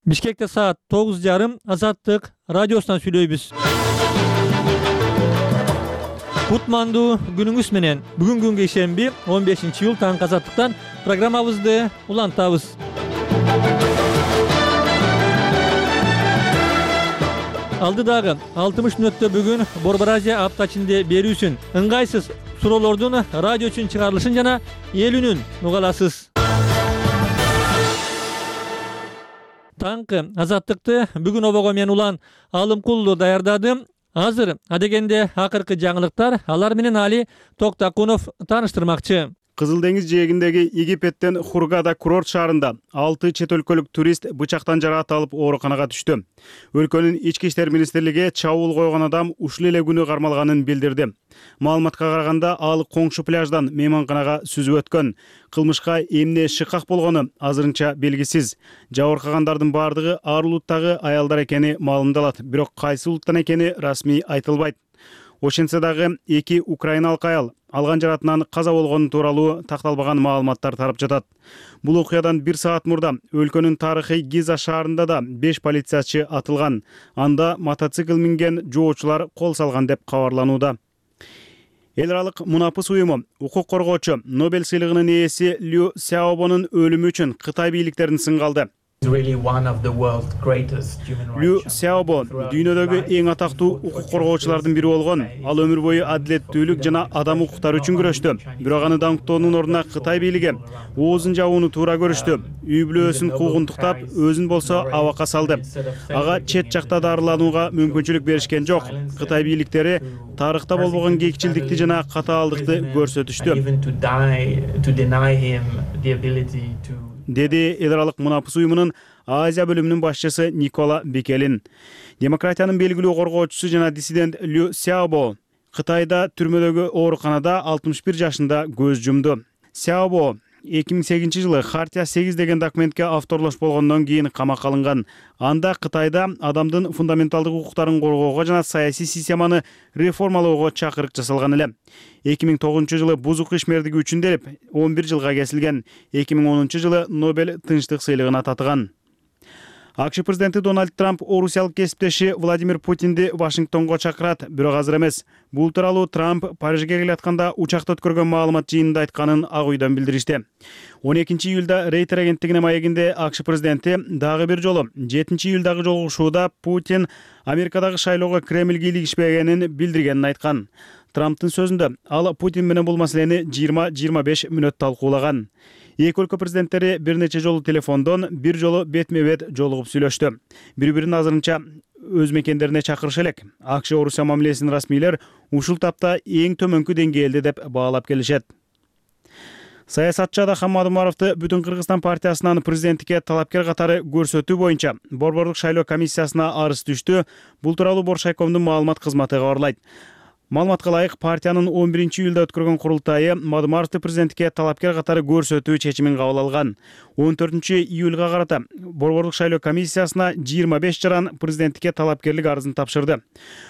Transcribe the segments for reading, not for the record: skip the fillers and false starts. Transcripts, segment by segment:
Бишкекте саат 9:30 Азаттык радиосунан сүйлөйбүз. Кутмандуу күнүңүз менен. Бүгүн күнгө ишемби 15-июл таңкы Азаттыктан программабызды улантабыз. Алдыдагы 60 мүнөттө бүгүн Борбор Азия апта ичинде берүүсүн, ыңгайсыз суроолордун радио үчүн чыгарылышын жана эл үнүн уга аласыз. Таңкы Азаттыкты бүгүн обого мен улан Алымкулду даярдады. Азыр адегенде акыркы жаңылыктар, алар менен Али Токтакунов тааныштырмакчы. Кызыл деңиз жээгиндеги Египеттен Хургада курорт шаарында 6 чет өлкөлүк турист бычактан жаракат алып ооруканага түштү. Өлкөнүн ички иштер министрлиги чабуул койгон адам ушул эле күнү кармалганын билдирди. Маалыматка караганда ал коңшу пляждан мейманканага сүзүп өткөн. Кылмышка эмне шыкак болгону азырынча белгисиз. Жабыркагандардын бардыгы ар улуттагы аялдар экени маалымдалат, бирок кайсы улуттан экени расмий айтылбайт. Ошентсе дагы 2 украиналык аял алган жаратынан каза болгону тууралуу такталбаган маалыматтар тарап жатат. Бул окуядан 1 саат мурда өлкөнүн тарыхый Гиза шаарында да 5 полициячы атылган. Анда мотоцикл минген жоочулар кол салган деп кабарланууда. Эл аралык мунапыс уюму укук коргоочу Нобель сыйлыгынын ээси Лю Сяобонун өлүмү үчүн Кытай бийликтерин сынга алды. Лю Сяобо дүйнөдөгү эң атактуу укук коргоочулардын бири болгон. Ал өмүр бою адилеттүүлүк жана адам укуктары үчүн күрөштү. Бирок аны даңктоонун ордуна Кытай бийлиги оозун жабууну туура көрүштү. Үй бүлөсүн куугунтуктап, өзүн болсо абакка салды. Ага чет жакта дарыланууга мүмкүнчүлүк беришкен жок. Кытай бийликтери тарыхта болбогон кекчилдикти жана катаалдыкты көрсөтүштү, деди эл аралык мунапыс уюмунун Азия бөлүмүнүн башчысы Никола Бекелин. Демократиянын белгилүү коргоочусу жана диссидент Лю Сяобо Кытайда түрмөдөгү ооруканада 61 жашында көз жумду. Сяобо 2008-жылы Хартия 8 деген документке авторлош болгондон кийин камакка алынган. Анда Кытайда адамдын фундаменталдык укуктарын коргоого жана саясий системаны реформалоого чакырык жасалган эле. 2009-жылы бузук ишмердиги үчүн делип 11 жылга кесилген. 2010-жылы Нобель тынчтык сыйлыгына татыган. АКШ президенти Дональд Трамп орусиялык кесиптеши Владимир Путинди Вашингтонго чакырат, бирок азыр эмес. Бул тууралуу Трамп Парижге келатканда учакта өткөргөн маалымат жыйынында айтканын Ак үйдөн билдиришти. 12-июлда Рейтер агенттигине маегинде АКШ президенти дагы бир жолу 7-июлдагы жолугушууда Путин Америкадагы шайлоого Кремльге илигишпегенин билдиргенин айткан. Трамптын сөзүндө ал Путин менен бул маселени 20-25 мүнөт талкуулаган. Эки өлкө президенттери бир нече жолу телефондон, бир жолу бетме-бет жолугуп сүйлөштү. Бири-бирин азырынча өз мекендерине чакырышы элек. АКШ Орусия мамилесин расмийлер ушул тапта эң төмөнкү деңгээлде деп баалап келишет. Саясатчы Адахан Мадумаровду Бүтүн Кыргызстан партиясынан президенттикке талапкер катары көрсөтүү боюнча Борборлук шайлоо комиссиясына арыз түштү. Бул тууралуу Боршайкомдун маалымат кызматы кабарлайт. Маалыматка ылайык, партиянын 11-июлда өткөргөн курултайы Мадумаровду президенттикке талапкер катары көрсөтүү чечимин кабыл алган. 14-июлга карата Борборлук шайлоо комиссиясына 25 жаран президенттикке талапкерлик арызын тапшырды.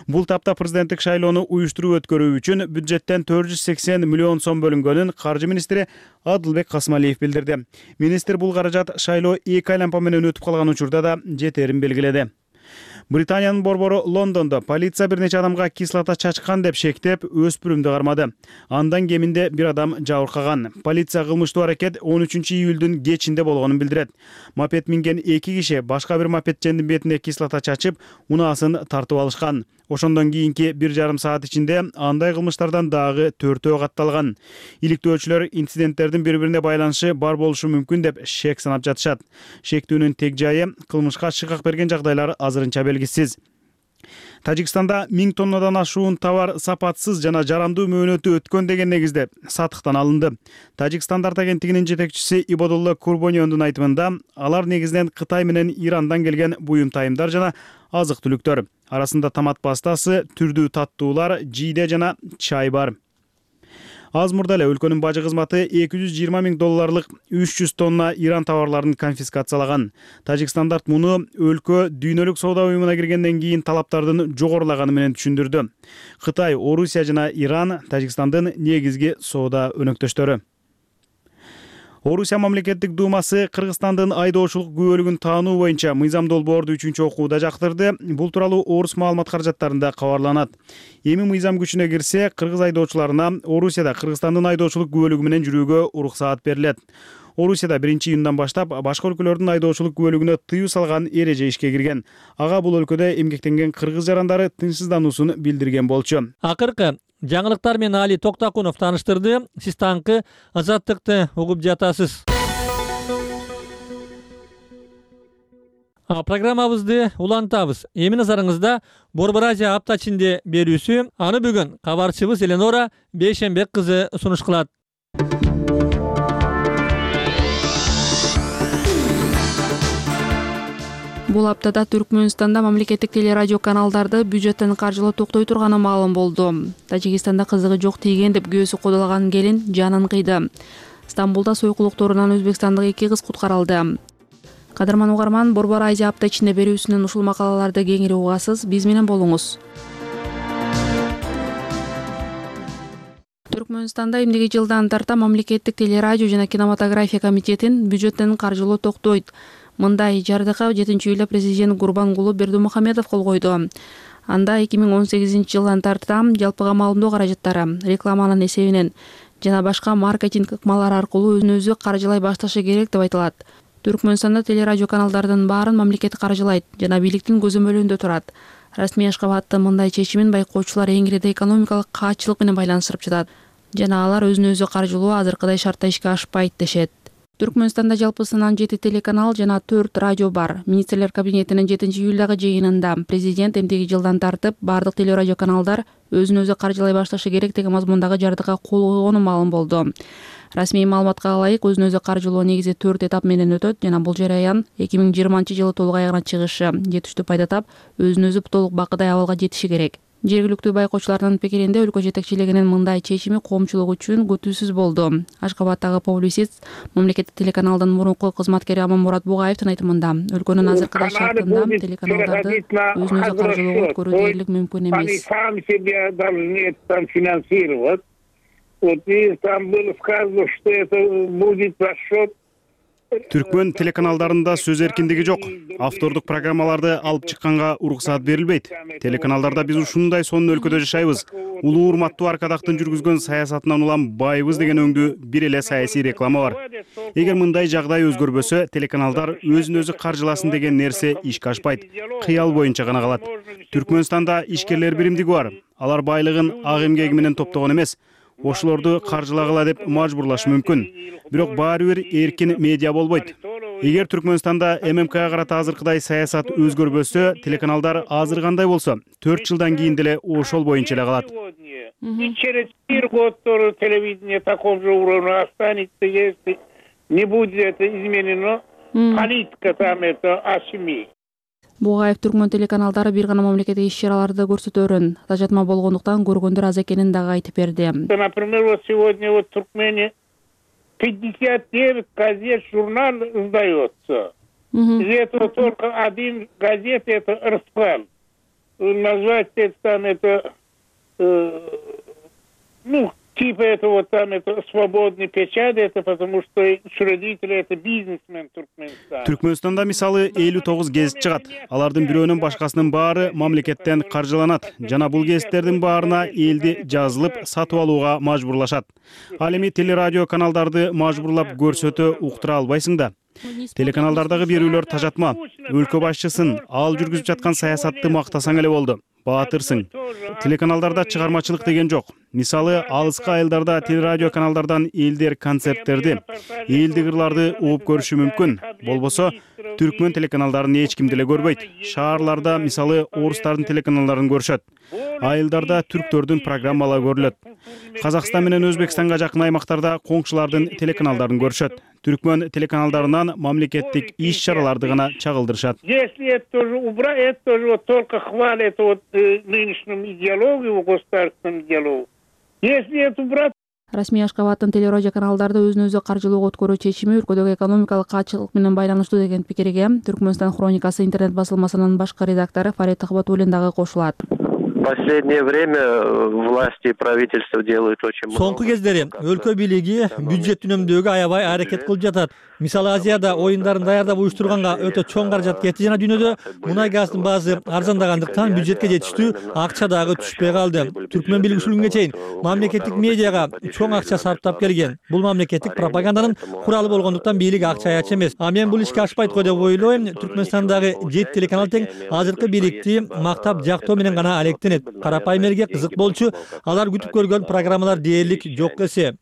Бул тапта президенттик шайлоону уюштуруу өткөрүү үчүн бюджеттен 480 миллион сом бөлүнгөнүн каржы министри Адылбек Касымалиев билдирди. Министр бул каражат шайлоо 2 айлампа менен өтүп калган учурда да жетерин белгиледи. Британиянын борбору Лондондо полиция бир нече адамга кислота чачкан деп шектеп, өспүрүмдү кармады. Андан кеминде бир адам жабыркаган. Полиция кылмыштуу аракет 13-июлдун кечинде болгонун билдирет. Мопед минген 2 киши башка бир мопедченин бетине кислота чачып, унаасын тартып алышкан. Ошондон кийинки 1,5 саат ичинде андай кылмыштардан дагы 4-өө катталган. Иликтөөчүлөр инциденттердин бири-бирине байланышы бар болушу мүмкүн деп шек санап жатышат. Шектүүнүн тег жайы кылмышка шыкак берген жагдайлар азырынча белгисиз. Тажикстанда 1000 тоннадан ашуун товар сапатсыз жана жарамдуу мөөнөтү өткөн деген негизде сатыктан алынды. Тажик стандарт агенттигинин жетекчиси Ибадулла Курбониондун айтымында, алар негизинен Кытай менен Ирандан келген буюм тайымдар жана азык-түлүктөр. Арасында томат пастасы, түрдүү таттуулар, жийде жана чай бар. Аз мурда эле өлкөнүн бажы кызматы $220,000 300 тонна Иран товарларын конфискациялаган. Тажик стандарт муну өлкө дүйнөлүк соода уюмуна киргенден кийин талаптардын жогорулаганы менен түшүндүрдү. Кытай, Орусия жана Иран Тажикстандын негизги соода өнөктөштөрү. Орусия мамлекеттик думасы Кыргызстандын айдоочулук күбөлүгүн таануу боюнча мыйзам долбоорду 3-окууда жактырды. Бул тууралуу Орус маалымат каражаттарында кабарланат. Эми мыйзам күчүнө кирсе, кыргыз айдоочуларына Орусияда Кыргызстандын айдоочулук күбөлүгү менен жүрүүгө уруксаат берилет. Орусияда 1-июндан баштап башка өлкөлөрдүн айдоочулук күбөлүгүнө тыюу салган эреже ишке кирген. Ага бул өлкөдө эмгектенген кыргыз жарандары тынчсыздануусун билдирген болчу. Акыркы жаңылыктар менен Али Токтакунов тааныштырды. Сиз таңкы Азаттыкты угуп жатасыз. Программабызды улантабыз. Эми назарыңызда Борбор Азия апта ичинде берүүсү. Аны бүгүн кабарчыбыз Эленора Бейшенбек кызы сунуш кылат. Бул аптада Түркмөнстанда мамлекеттик телерадио каналдарды бюджеттен каржылоо токтой турганы маалым болду. Тажикстанда кызыгы жок тийген деп күйөөсү кодолаган келин жанын кыйды. Стамбулда сойкулуктарынан өзбекстандык 2 кыз куткарылды. Кадырман угарман, Борбор Азия апта ичинде берүүсүнөн ушул макалаларды кеңири угасыз. Биз менен болуңуз. Түркмөнстанда эмдиги жылдан тарта мамлекеттик телерадио жана кинематография комитетин бюджеттен каржылоо токтойт. Мындай жардыга 7-июлда президент Гурбангулы Бердимухамедов кол койду. Анда 2018-жылдан тарта жалпыга маалымдоо каражаттары, рекламанын эсебинен жана башка маркетинг ыкмалары аркылуу өзүн-өзү каржылай башташы керек деп айтылат. Түркмөнстанда телерадио каналдардын баарын мамлекет каржылайт жана бийликтин көзөмөлүндө турат. Расмий Ашкабадтын мындай чечимин байкоочулар эңириде экономикалык каачылык менен байланыштырып жатат жана алар өзүн-өзү каржылоо азыркыдай шартта ишке ашпайт дешет. Түркмөнстанда жалпысынан 7 телеканал жана 4 радио бар. Министрлер кабинетинин 7-июлдагы жыйынында президент эмдиги жылдан тартып бардык телерадио каналдар өзүн-өзү каржылай башташы керек деген мазмундагы жардыга кол койгону маалым болду. Расмий маалыматка ылайык өзүн-өзү каржылоо негизи 4 этап менен өтөт жана бул жараян 2020-жылы толук аягына чыгышы, жетиштүү пайда тап, өзүн-өзү толук бакыдай абалга жетиши керек. Жергиликтүү байкоочулардын пикиринде өлкө жетекчилигинин мындай чечими коомчулук үчүн күтүүсүз болду. Ашкабадтагы публицист, мамлекеттик телеканалдын мурунку кызматкери Аманмурат Бугаевдин айтымында, өлкөнүн азыркыдай шартында телеканалдарды өзүн-өзү каржылоого өткөрүү дээрлик мүмкүн эмес. Сам себя должны там финансировать. Вот и там было сказано, что это будет за счет. Түркмөн телеканалдарында сөз эркиндиги жок. Автордук программаларды алып чыкканга уруксаат берилбейт. Телеканалдарда биз ушундай сонун өлкөдө жашайбыз. Улуу урматтуу Аркадактын жүргүзгөн саясатынан улам байбыз деген өңдүү бир эле саясий реклама бар. Эгер мындай жагдай өзгөрбөсө, телеканалдар өзүн-өзү каржыласын деген нерсе ишке ашпайт. Кыял боюнча гана калат. Түркмөнстанда ишкерлер биримдиги бар. Алар байлыгын ак эмгеги менен топтогон эмес. Ошолорду каржылагыла деп мажбурлашы мүмкүн. Бирок баары бир эркин медиа болбойт. Эгер Түркмөнстанда ММКга карата азыркыдай саясат өзгөрбөсө, телеканалдар азыр кандай болсо, 4 жылдан кийин деле ошол боюнча эле калат. И через 4 года тоже телевидение таком же уровне останется, если не будет это изменено. Политика там это осеми. Бугаев Түркмөн телеканалдары бир гана мамлекеттик иш-чараларды көрсөтөрүн, тажатма болгондуктан көргөндөр аз экенин дагы айтып берди. Например, вот сегодня вот в Туркмении 59 газет, журнал издается. Из этого только один газет, это «Ирспан». Назвать это там, это, типа это вот там, это свободный печать, это потому что учредители, это бизнесмен Туркменстана. Түркмөнстанда мисалы 59 гезит чыгат. Алардын бирөөнүн башкасынын баары мамлекеттен каржыланат. Жана бул гезиттердин баарына элди жазылып, сатып алууга мажбурлашат. Ал эми телерадио каналдарды мажбурлап көрсөтө уктура албайсың да. Телеканалдардагы берүүлөр тажатма. Өлкө башчысын, ал жүргүзүп жаткан саясатты мактасаң эле болду. Баатырсың. Телеканалдарда чыгармачылык деген жок. Мисалы, алыскы айылдарда телерадио каналдардан элдер концерттерди, элдик ырларды угуп көрүшү мүмкүн. Болбосо, Түркмөн телеканалдарын эч ким деле көрбөйт. Шаарларда, мисалы, орустардын телеканалдарын көрүшөт. Айылдарда түрктөрдүн программалары көрүлөт. Казакстан менен Өзбекстанга жакын аймактарда коңшулардын телеканалдарын көрүшөт. Түркмөн телеканалдарынан мамлекеттик иш-чараларды гана чагылдырышат. Если это тоже убрать, это тоже вот только хвалит вот нынешнюю идеологию, государственную идеологию. Если это убрать. Расмий Ашкабадтын телерадио каналдарды өзүн-өзү каржылоого өткөрүү чечими өлкөдөгү экономикалык каачылык менен байланыштуу деген пикирге Түркмөнстан хроникасы интернет басылмасынын башкы редактору Фарид Ахбатуллин дагы кошулат. Последнее время власти и правительство делают очень много. Соңку кездери өлкө бийлиги бюджет үнөмдөөгө аябай аракет кылып жатат. Мисалы Азияда оюндарын даярдап уюштурганга өтө чоң каражат кетти жана дүйнөдө мунай газдын баасы арзандагандыктан бюджетке жетиштүү акча дагы түшпөй калды. Түркмөн бийлиги ушул чейин мамлекеттик медиага чоң акча сарптап келген. Бул мамлекеттик пропаганданын куралы болгондуктан бийлик акча ача эмес. А мен бул ишке ашпайт го деп ойлойм. Түркмөнстандагы 7 телеканал тең азыркы бийликти мактап жактоо менен гана алектенет. Карапайым элге кызык болчу, алар күтүп көргөн программалар дээрлик жок эсе.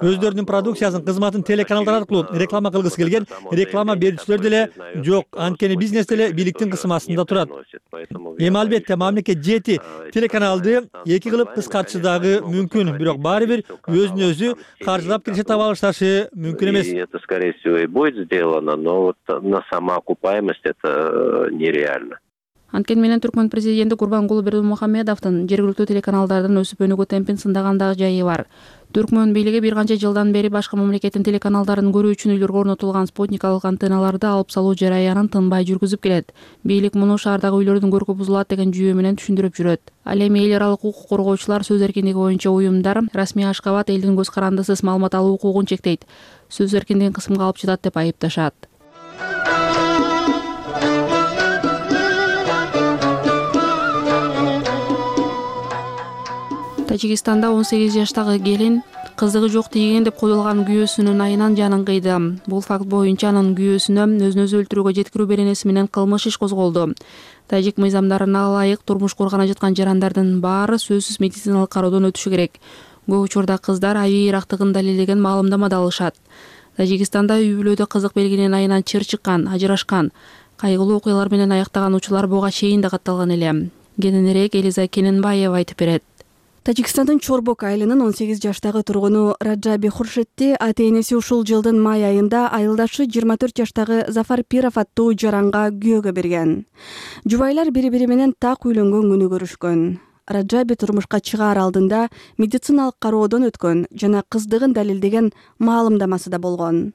Өздөрүнүн продукциясын, кызматын телеканалдар аркылуу реклама кылгысы келген реклама берүүчүлөр деле жок. Анткени бизнес деле бийликтин кысымы астында турат. Эми албетте мамлекет 7 телеканалды 2 кылып кыскартышы дагы мүмкүн, бирок баары бир өзүн өзү каржылап киреше таба алышташы мүмкүн эмес. Это, скорее всего, и будет сделано, но вот на самоокупаемость это нереально. Анткени менен Түркмөн президенти Гурбангулу Бердимухамедовдун жергиликтүү телеканалдардын өсүп өнүгүү темпин сындагандагы жайы бар. Түркмөн бийлиги бир канча жылдан бери башка мамлекеттин телеканалдарын көрүү үчүн үйлөргө орнотулган спутникалык антенналарды алып салуу жараянын тынбай жүргүзүп келет. Бийлик муну шаардагы үйлөрдүн көркү бузулат деген жүйө менен түшүндүрүп жүрөт. Ал эми эл аралык укук коргоочулар сөз эркиндиги боюнча уюмдар расмий Ашкабад элдин көз карандысыз маалымат алуу укугун чектейт, сөз эркиндигин кысымга алып жатат деп айыпташат. Тажикстанда 18 жаштагы келин кыздыгы жок тийген деп коюлган күйөөсүнүн айынан жанын кыйды. Бул факт боюнча анын күйөөсүнө өзүн өзү өлтүрүүгө жеткирүү беренеси менен кылмыш иш козголду. Тажик мыйзамдарына ылайык турмуш кургана жаткан жарандардын баары сөзсүз медициналык кароодон өтүшү керек. Көп учурда кыздар аби ирактыгын далилдеген маалымдама да алышат. Тажикстанда үй бүлөдө кызык белгинин айынан чыр чыккан, ажырашкан, кайгылуу окуялар менен аяктаган учурлар буга чейин да катталган эле. Кененирээк Элиза Кененбаева айтып берет. Тажикстандын Чорбок айылынын 18 жаштагы тургуну Раджаби Хуршетти ата-энеси ушул жылдын май айында айылдашы 24 жаштагы Зафар Пиров аттуу жаранга күйөөгө берген. Жубайлар бири-бири менен так үйлөнгөн күнү көрүшкөн. Раджаби турмушка чыгаар алдында медициналык кароодон өткөн жана кыздыгын далилдеген маалымдамасы да болгон.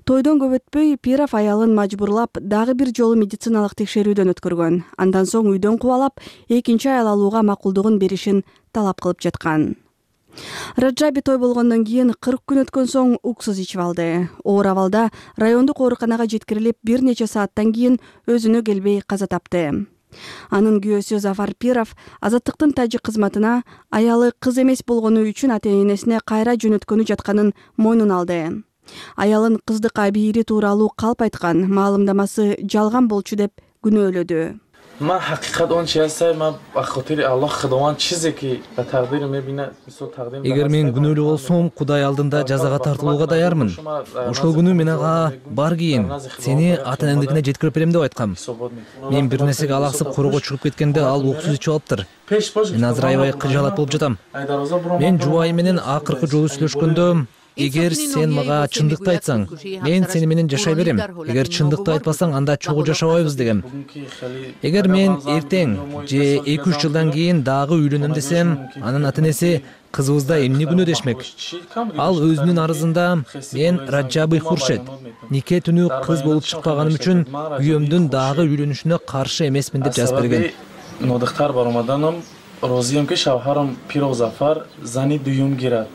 Тойдон көп өтпөй Пиров аялын мажбурлап дагы бир жолу медициналык текшерүүдөн өткөргөн. Андан соң үйдөн кубалап, экинчи аял алууга макулдугун беришин талап кылып жаткан. Раджаби той болгондон кийин 40 күн өткөн соң уксуз ичип алды. Оор абалда райондук ооруканага жеткирилип, бир нече сааттан кийин өзүнө келбей каза тапты. Анын күйөөсү Зафар Пиров азаттыктын тажик кызматына аялы кыз эмес болгону үчүн ата-энесине кайра жөнөткөнү жатканын мойнуна алды. Аялын кыздык абийири тууралуу калп айткан, маалымдамасы жалган болчу деп күнөөлөдү. من حقیقت اون چیزی است من بخاطر الله خداوند چیزی که به تقدیر میبینه مثل تقدیر Эгер мен күнөөлүү болсом, Кудай алдында жазага тартылууга даярмын. Ошол күнү мен ага бар кийин, сени ата-энеңдикине жеткирип берем деп айткам. Мен бир нерсеге алаксып корго чыгып кеткенде ал уксуз ичип алыптыр. Мен азыр аябай кыжаалат болуп жатам. Мен жубайым менен акыркы жолу сүйлөшкөндө, эгер сен мага чындыкты айтсаң, мен сени менен жашай берем. Эгер чындыкты айтпасаң, анда чогуу жашабайбыз дегем. Эгер мен эртең же 2-3 жылдан кийин дагы үйлөнөм десем, анын ата-энеси кызыбызда эмне күнөө дешмек? Ал өзүнүн арызында мен Раджаби Хуршет, нике түнү кыз болуп чыкпаганым үчүн күйөөмдүн дагы үйлөнүшүнө каршы эмесмин деп жазып берген. Нодыктар бармаданым, розием ки шавхарам Пиров Зафар зани дуюм гират.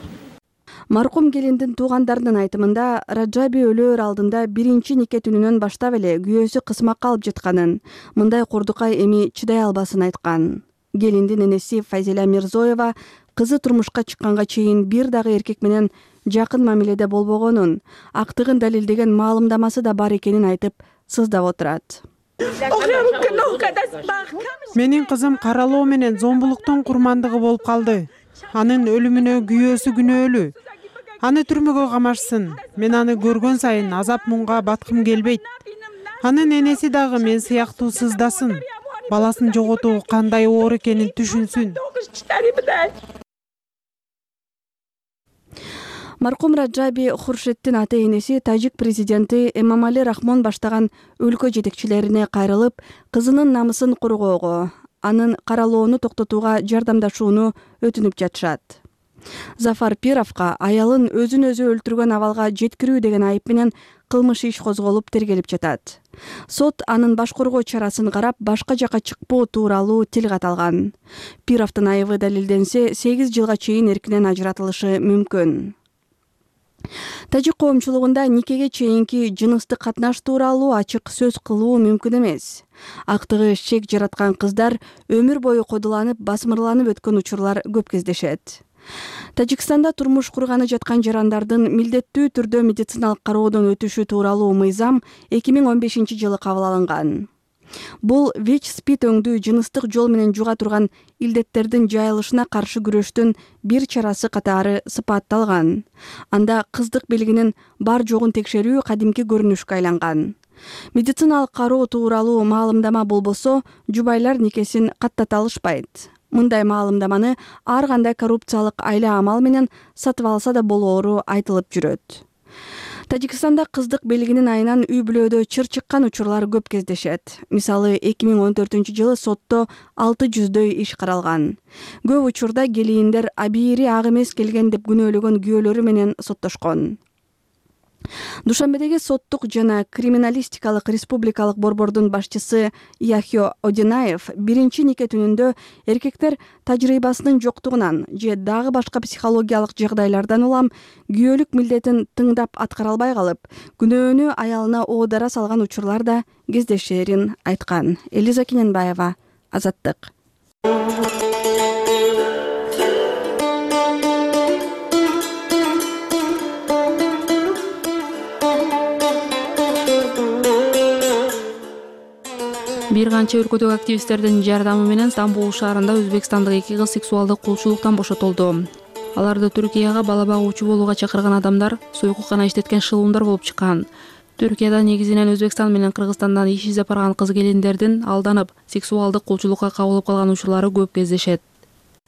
Маркум келиндин туугандарынын айтымында Раджаби өлөөр алдында биринчи нике түнүнөн баштап эле күйөөсү кысмакка алып жатканын, мындай курдукка эми чыдай албасын айткан. Келиндин энеси Файзила Мирзоева кызы турмушка чыкканга чейин бир дагы эркек менен жакын мамиледе болбогонун, актыгын далилдеген маалымдамасы да бар экенин айтып сыздап отурат. Менин кызым каралоо менен зомбулуктун курмандыгы болуп калды. Анын өлүмүнө күйөөсү күнөөлүү. Аны түрмөгө камашсын. Мен аны көргөн сайын азап мунга баткым келбейт. Анын энеси дагы мен сыяктуу сыздасын. Баласын жоготуу кандай оор экенин түшүнсүн. Маркум Раджаби Хуршеттин ата-энеси тажик президенти Эмомали Рахмон баштаган өлкө жетекчилерине кайрылып, кызынын намысын коргоого, анын каралоону токтотууга жардамдашууну өтүнүп жатышат. Зафар Пировго аялын өзүн өзү өлтүргөн абалга жеткирүү деген айып менен кылмыш иш козголуп тергелип жатат. Сот анын баш коргоо чарасын карап, башка жакка чыкпоо тууралуу тил кат алган. Пировдун айыбы далилденсе, 8 жылга чейин эркинен ажыратылышы мүмкүн. Тажик коомчулугунда никеге чейинки жыныстык катнаш тууралуу ачык сөз кылуу мүмкүн эмес. Актыгы шек жараткан кыздар өмүр бою кодуланып, басмырланып өткөн учурлар көп кездешет. Тажикстанда турмуш курганы жаткан жарандардын милдеттүү түрдө медициналык кароодон өтүшү тууралуу мыйзам 2015 жылы кабыл алынган. Бул ВИЧ-СПИД өңдүү жыныстык жол менен жуга турган илдеттердин жайылышына каршы күрөштүн бир чарасы катары сыпатталган. Анда кыздык белгинин бар жогун текшерүү кадимки көрүнүшкө айланган. Медициналык кароо тууралуу маалымдама болбосо, жубайлар никесин каттата алышпайт. Мындай маалымдаманы ар кандай коррупциялык айла амал менен сатып алса да болоору айтылып жүрөт. Тажикстанда кыздык белгинин айынан үй бүлөдө чыр чыккан учурлар көп кездешет. Мисалы, 2014 жылы сотто 600дөй иш каралган. Көп учурда келиндер абийири ак эмес келген деп күнөөлөгөн күйөөлөрү менен соттошкон. Душанбедеги соттук жана криминалистикалык республикалык борбордун башчысы Яхё Одинаев биринчи нике түнүндө эркектер тажрыйбасынын жоктугунан же дагы башка психологиялык жагдайлардан улам күйөөлүк милдетин тыңдап аткара албай калып, күнөөнү аялына оодара салган учурлар да кездешерин айткан. Элиза Кененбаева, Азаттык. Бир канча өлкөдөгү активисттердин жардамы менен Стамбул шаарында өзбекстандык 2 кыз сексуалдык кулчулуктан бошотулду. Аларды Түркияга бала багуучу болууга чакырган адамдар сойкукана иштеткен шылуундар болуп чыккан. Түркияда негизинен Өзбекстан менен Кыргызстандан иш издеп барган кыз келиндердин алданып, сексуалдык кулчулукка кабылып калган учурлары көп кездешет.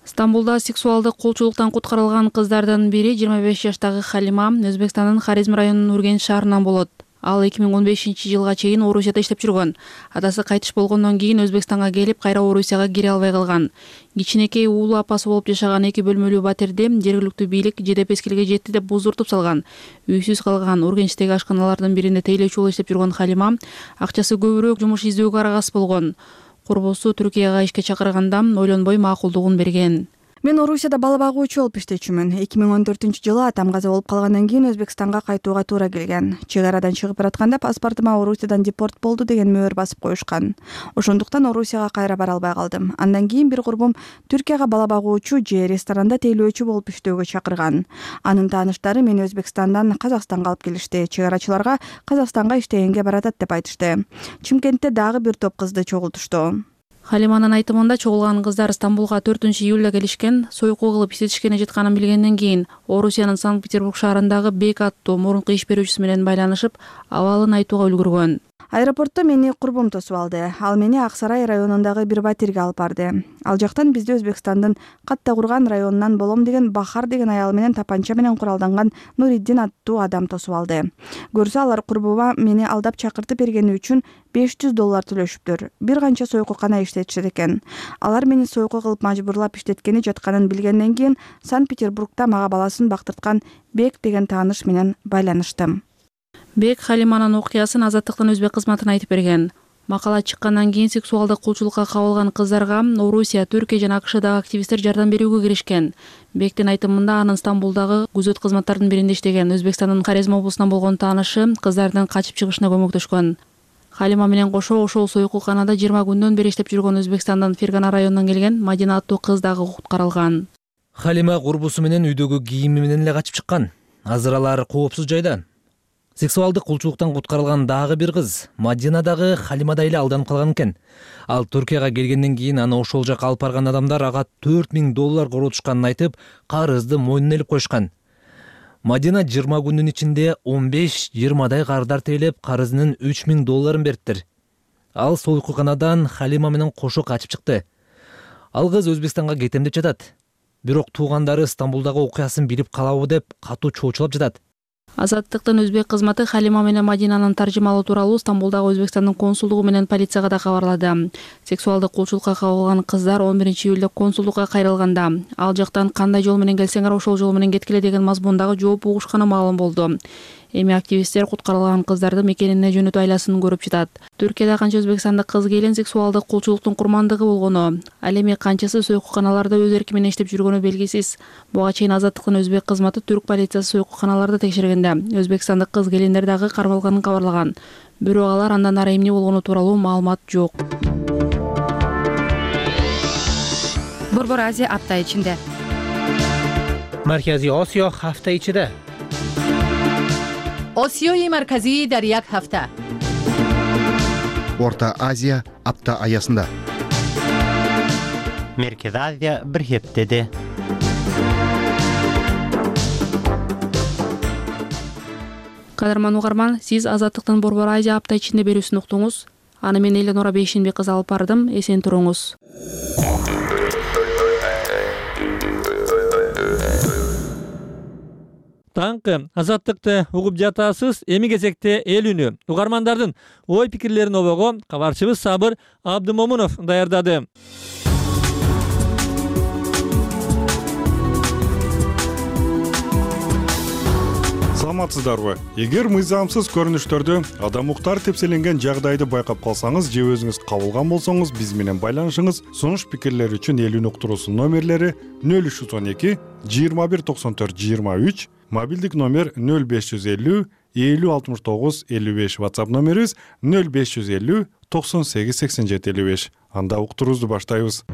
Стамбулда сексуалдык кулчулуктан куткарылган кыздардын бири 25 жаштагы Халима Өзбекстандын Хорезм районунун Ургенч шаарынан болот. Ал 2015 жылга чейин Орусияда иштеп жүргөн. Атасы кайтыш болгондон кийин Өзбекстанга келип, кайра Орусияга кире албай калган. Кичинекей уулу апасы болуп жашаган 2 бөлмөлүү батирди жергиликтүү бийлик жедеп эскилге жетти деп буздуртуп салган. Үйсүз калган Ургенчтеги ашканалардын биринде тейлөөчү болуп иштеп жүргөн Халима акчасы көбүрөөк жумуш издөөгө аргасыз болгон. Курбусу Түркияга ишке чакырганда ойлонбой макулдугун берген. Мен Орусияда бала багуучу болуп иштечүмүн. 2014 жылы атам каза болуп калгандан кийин Өзбекстанга кайтууга туура келген. Чек арадан чыгып баратканда паспортума Орусиядан депорт болду деген мөөр басып коюшкан. Ошондуктан Орусияга кайра бара албай калдым. Андан кийин бир курбум Түркияга бала багуучу же ресторанда тейлөөчү болуп иштөөгө чакырган. Анын тааныштары мени Өзбекстандан Казакстанга алып келишти. Чек арачыларга Казакстанга иштегенге баратат деп айтышты. Чымкентте дагы бир топ кызды чогултушту. Халиманын айтымында чогулган кыздар Стамбулга 4-июлда келишкен, сойку кылып иштетишкене жатканын билгенден кийин Орусиянын Санкт-Петербург шаарындагы Бек аттуу мурунку иш берүүчүсү менен байланышып, абалын айтууга үлгүргөн. Аэропортто мени курбум тосуп алды. Ал мени Ак Сарай районундагы бир батирге алып барды. Ал жактан бизди Өзбекстандын Катта Курган районунан болом деген Бахар деген аял менен тапанча менен куралданган Нуриддин аттуу адам тосуп алды. Көрсө алар курбума мени алдап чакыртып бергени үчүн $500 төлөшүптүр. Бир канча сойкукана иштетишет экен. Алар мени сойку кылып мажбурлап иштеткени жатканын билгенден кийин Санкт-Петербургда мага баласын бактырткан Бек деген тааныш менен байланыштым. Бек Халиманын окуясын Азаттыктын өзбек кызматына айтып берген. Макала чыккандан кийин сексуалдык кулчулукка кабылган кыздарга Орусия, Түркия жана АКШдагы активисттер жардам берүүгө киришкен. Бектин айтымында анын Стамбулдагы күзөт кызматтарынын биринде иштеген Өзбекстандын Хорезм облусунан болгон таанышы кыздардын качып чыгышына көмөктөшкөн. Халима менен кошо ошол сойкуканада 20 күндөн бери иштеп жүргөн Өзбекстандын Фергана районунан келген Мадина аттуу кыз дагы куткарылган. Халима курбусу менен үйдөгү кийими менен эле качып чыккан. Азыр алар коопсуз жайда. Сексуалдык кулчулуктан куткарылган дагы бир кыз Мадина дагы Халимадай эле алданып калган экен. Ал Түркияга келгенден кийин аны ошол жака алып барган адамдар ага $4000 коротушканын айтып, карызды мойнуна илип коюшкан. Мадина 20 күндүн ичинде 15-20дай кардар тейлеп, карызынын $3000 бериптир. Ал сойкуканадан Халима менен кошо качып чыкты. Ал кыз Өзбекстанга кетем деп жатат. Бирок туугандары Стамбулдагы окуясын билип калабы деп катуу чоочулап жатат. Азаттыктын өзбек кызматы Халима менен Мадинанын таржымалоо тууралуу Стамбулдагы Өзбекстандын консулдугу менен полицияга да кабарлады. Сексуалдык кулчулукка кабылган кыздар 11 июлда консулдукка кайрылганда, ал жактан кандай жол менен келсеңер ошол жол менен кеткиле деген мазмундагы жооп угушканы маалым болду. Эми активисттер куткарылган кыздарды мекенине жөнөтүү айласын көрүп жатат. Түркияда канча өзбекстандык кыз келин сексуалдык кулчулуктун курмандыгы болгону, ал эми канчасы сойкуканаларда өз эрки менен иштеп жүргөнү белгисиз. Буга чейин Азаттыктын өзбек кызматы түрк полициясы сойкуканаларды текшергенде өзбекстандык кыз келиндер дагы кармалганын кабарлаган. Бирок алар андан ары эмне болгону тууралуу маалымат жок. Борбор Азия апта ичинде. Марказий Осиё ҳафта ичида. Осиёи марказӣ дар як ҳафта. Орта Азия апта аясында. Меркези Азия бир ҳептеде. Кадырман угарман, сиз Азаттыктын Борбор Азия апта ичинде берүүсүн уктуңуз. Аны мен Эленора Бейшенбек кызы алып бардым. Эсен туруңуз. Таңкы Азаттыкты угуп жатасыз. Эми кезекте эл үнү. Угармандардын ой пикирлерин обого кабарчыбыз Сабыр Абдымомунов даярдады. Саламатсыздарбы? Эгер мыйзамсыз көрүнүштөрдү, адам укуктары тепселенген жагдайды байкап калсаңыз же өзүңүз кабылган болсоңуз, биз менен байланышыңыз. Сунуш пикирлер үчүн эл үнү уктуруусунун номерлери 0312 21 94 23, мобилдик номер 0550 50 69 55, WhatsApp номерибиз 0550 98 87 55. Анда уктуруубузду баштайбыз.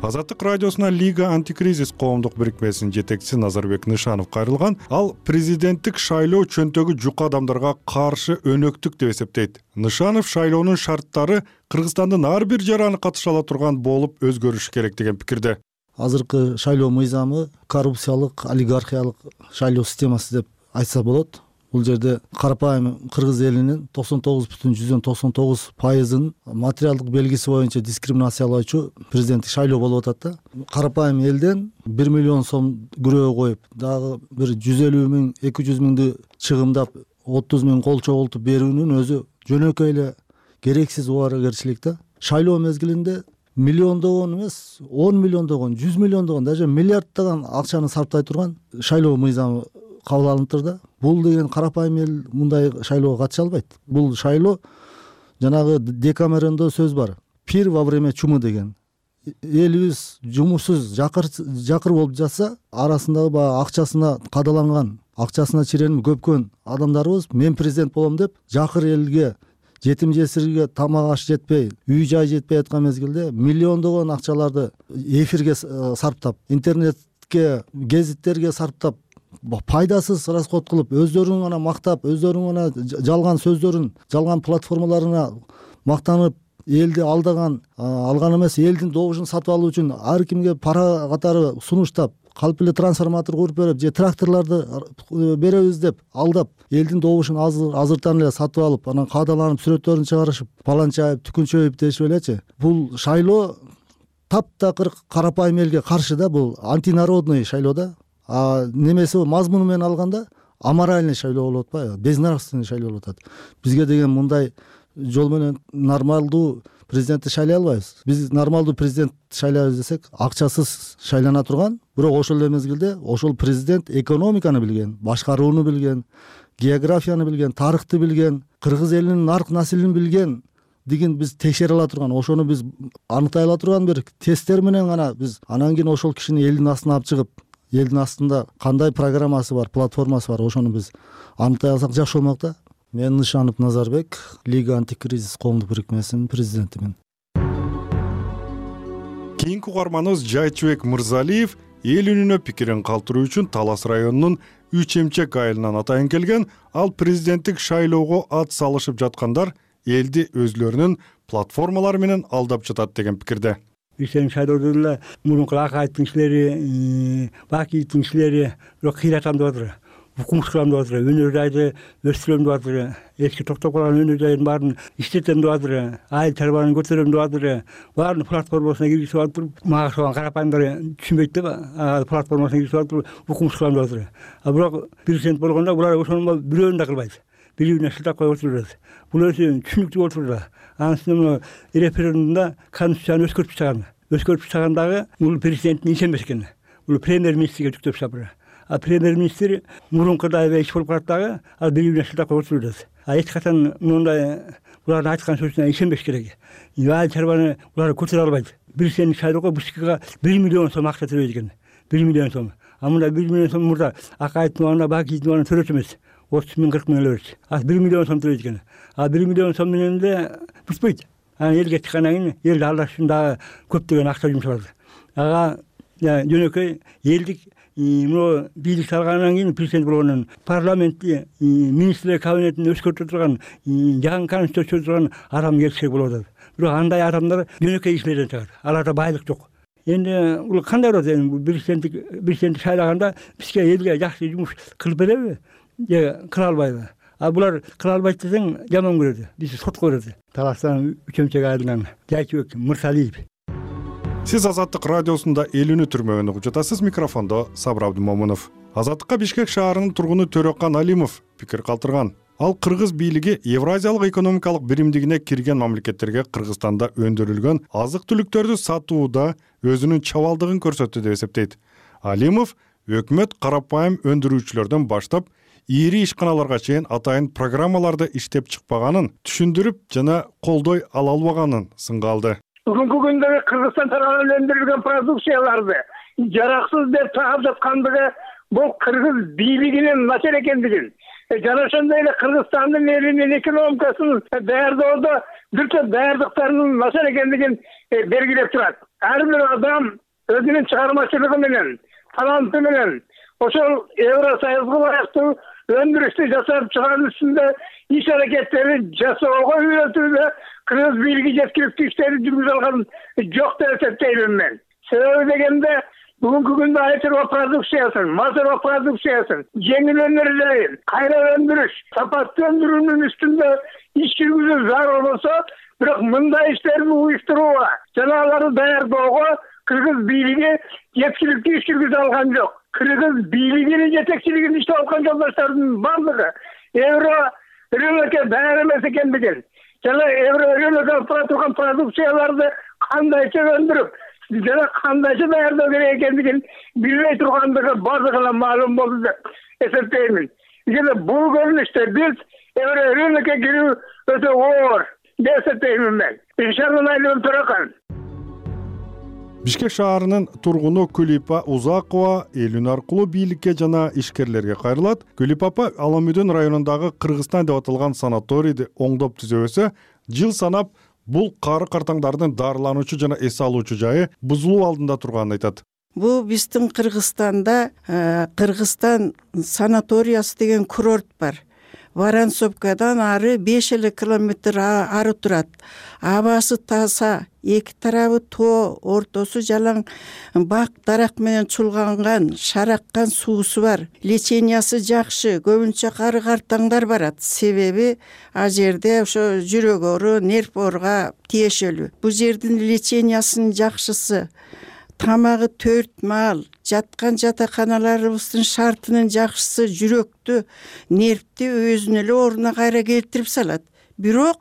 Азаттык радиосуна Лига антикризис коомдук бирикмесинин жетекчиси Назарбек Нышанов кайрылган. Ал президенттик шайлоо чөнтөгү жука адамдарга каршы өнөктүк деп эсептейт. Нышанов шайлоонун шарттары Кыргызстандын ар бир жараны катыша ала турган болуп өзгөрүшү керек деген пикирде. Азыркы шайлоо мыйзамы коррупциялык, олигархиялык шайлоо системасы деп айтса болот. Бул жерде карапайым кыргыз элинин 99,99% материалдык белгиси боюнча дискриминациялоочу президенттик шайлоо болуп атат да. Карапайым элден 1 миллион сом күрөө коюп, дагы бир 150 миң, 200 миңди чыгымдап 30 миң кол чогултуп берүүнүн өзү жөнөкөй эле керексиз убаргерчилик да. Шайлоо мезгилинде миллиондогон эмес, 10 миллиондогон, 100 миллиондогон, даже миллиарддаган акчаны сарптай турган шайлоо мыйзамы кабыл алынып да. Бул деген карапайым эл мындай шайлоого катыша албайт. Бул шайлоо жанагы Декамерондо сөз бар. Пир во время чумы деген. Элибиз жумушсуз жакыр болуп жатса, арасындагы баягы акчасына кадаланган, акчасына чиренип көпкөн адамдарыбыз мен президент болом деп жакыр элге, жетим жесирге тамак аш жетпей, үй жай жетпей аткан мезгилде миллиондогон акчаларды эфирге сарптап, интернетке, гезиттерге сарптап, пайдасыз расход кылып, өздөрүн гана мактап, өздөрүн гана жалган сөздөрүн, жалган платформаларына мактанып, элди алдаган, алган эмес, элдин добушун сатып алуу үчүн ар кимге пара катары сунуштап, калп эле трансформатор куруп берип, же тракторлорду беребиз деп алдап, элдин добушун азыртан эле сатып алып, анан каадаланып сүрөттөрүн чыгарышып, паланчайып, түкүнчөйүп дешип элечи. Бул шайлоо таптакыр карапайым элге каршы да, бул антинародный шайлоо да. Немеси мазмуну менен алганда аморальный шайлоо болуп атпайбы, безнравственный шайлоо болуп атат. Бизге деген мындай жол менен нормалдуу президентти шайлай албайбыз. Биз нормалдуу президент шайлайбыз десек, акчасыз шайлана турган, бирок ошол эле мезгилде ошол президент экономиканы билген, башкарууну билген, географияны билген, тарыхты билген, кыргыз элинин нарк населин билген деген биз текшере ала турган, ошону биз аныктай ала турган бир тесттер менен гана биз анан кийин ошол кишини элдин астына алып чыгып, элдин астында кандай программасы бар, платформасы бар, ошону биз аныктай алсак жакшы болмок да. Мен Нышанов Назарбек, Лига антикризис коомдук бирикмесинин президентимин. Кийинки угарманыбыз Жайчыбек Мырзалиев эл үнүнө пикирин калтыруу үчүн Талас районунун 3 эмчек айылынан атайын келген. Ал президенттик шайлоого ат салышып жаткандар элди өзлөрүнүн платформалары менен алдап жатат деген пикирде. Бизин шайлоодо мурунку акайттын ишleri, Бакиевдин ишleri кыйратам деп атыр. укмуш кылам деп атыр, өнөр жайды өстүрөм деп атыр, эски токтоп калган өнөр жайдын баарын иштетем деп атыр, айыл чарбаны көтөрөм деп атыр, баарын платформасына киргизип атып, мага ошол карапайымдар түшүнбөйт деп платформасына киргизип атып укмуш кылам деп атыр. Бирок президент болгондо булар ошонун бирөөнү да кылбайт. Бири-бирине шылтап коюп отурат. Бул өзү түшүнүктүү болуп турат. Анын үстүнө референдумда конституцияны өзгөртүп чыгарды. Өзгөртүп чыгандагы бул президенттин ишенбеш экен. Бул премьер-министрге жүктөп чапыр. Премьер-министр мурункудай иш болуп калат дагы, ал бири-бирине шылтап коюп отурат. Эч качан мындай булардын айткан сөзүнө ишенбеш керек. Айыл чарбаны булар көтөрө албайт. Президенттик шайлоого БШКга 1 миллион сом акча төлөйт экен. 1 миллион сом. Мында 1 миллион сом мурда Акаевдин убагында Бакиевдин убагында төлөчү эмес. 30 миң 40 миң төлөйт. 1 миллион сом төлөйт экен. 1 миллион сом менен да бүтпөйт. Элге чыккандан кийин элди алдаш үчүн дагы көптөгөн акча жумшалат. Ага жөнөкөй элдик мына бийлик салгандан кийин президент болгондон парламентти министрлер кабинетин өзгөртө турган жаңы конституция турган адам келиш керек болуп атат. Бирок андай адамдар жөнөкөй ишмерден чыгат. Аларда байлык жок. Энди бул кандай болот? Президенттик шайлаганда бизге элге жакшы жумуш кылып береби же кыла албайбы? Булар кыла албайт десең жаман көрөт. Биз сотко берет. Таластан үчөмчөгө айылган Жайчыбек Мырсалиев. Сиз Азаттык радиосунда элүүнү түрмөгүн угуп жатасыз. Микрофондо Сабыр Абдымомунов. Азаттыкка Бишкек шаарынын тургуну Төрөккан Алимов пикир калтырган. Ал кыргыз бийлиги Евразиялык экономикалык биримдигине кирген мамлекеттерге Кыргызстанда өндүрүлгөн азык-түлүктөрдү сатууда өзүнүн чабалдыгын көрсөттү деп эсептейт. Алимов өкмөт карапайым өндүрүүчүлөрдөн баштап ири ишканаларга чейин атайын программаларды иштеп чыкпаганын түшүндүрүп жана колдой ала албаганын сынга алды. Бүгүнкү күндө Кыргызстан тарабынан өндүрүлгөн продукцияларды жараксыз деп таап жаткандыгы бул кыргыз бийлигинин начар экендигин жана ошондой эле Кыргызстандын элинин экономикасын даярдоодо бир топ даярдыктарынын начар экендигин белгилеп турат. Ар бир адам өзүнүн чыгармачылыгы менен, таланты менен ошол Евросоюзга ылайыктуу өндүрүштү жасап чыгаруу үстүндө иш аракеттери жасоого үйрөтүүдө кыргыз бийлиги жеткиликтүү иштерди жүргүзө алган жок деп эсептеймин мен. Себеби дегенде бүгүнкү күндө айыл чарба продукциясын, мал чарба продукциясын, жеңил өнөр жайын, кайра өндүрүш, сапаттуу өндүрүүнүн үстүндө иш жүргүзүү зарыл болсо, бирок мындай иштерди уюштурууга жана аларды даярдоого кыргыз бийлиги жеткиликтүү иш жүргүзө алган жок. Кыргыз бийлигинин жетекчилигин иштеп аткан жолдоштордун бардыгы евро рынокко даяр эмес экендигин жана евро рынокко бара турган продукцияларды кандайча өндүрүп жана кандайча даярдоо керек экендигин билбей тургандыгы бардыгына маалым болду деп эсептеймин. Жана бул көрүнүштө биз евро рынокко кирүү өтө оор деп эсептеймин мен. Шаарнын айлыгын Төрөкан. Бишкек шаарынын тургуну Күлипа Узакова элүүнү аркылуу бийликке жана ишкерлерге кайрылат. Күлипа апа Аламүдөн районундагы Кыргызстан деп аталган санаторийди оңдоп түзөбөсө, жыл санап бул кары картаңдардын дарылануучу жана эс алуучу жайы бузулуу алдында турганын айтат. Бул биздин Кыргызстанда Кыргызстан санаториясы деген курорт бар. Воронцовкадан ары 5 километр ары турат. Абасы таза, эки тарабы тоо, ортосу жалаң бак дарак менен чулганган, шараккан суусу бар. Лечениясы жакшы, көбүнчө кары картаңдар барат. Себеби ал жерде ошо жүрөк оору, нерв ооруга тиешелүү. Бул жердин лечениясынын жакшысы, тамагы 4 маал, жаткан жатаканаларыбыздын шартынын жакшысы жүрөктү, нервти өзүнүн эле ордуна кайра келтирип салат. Бирок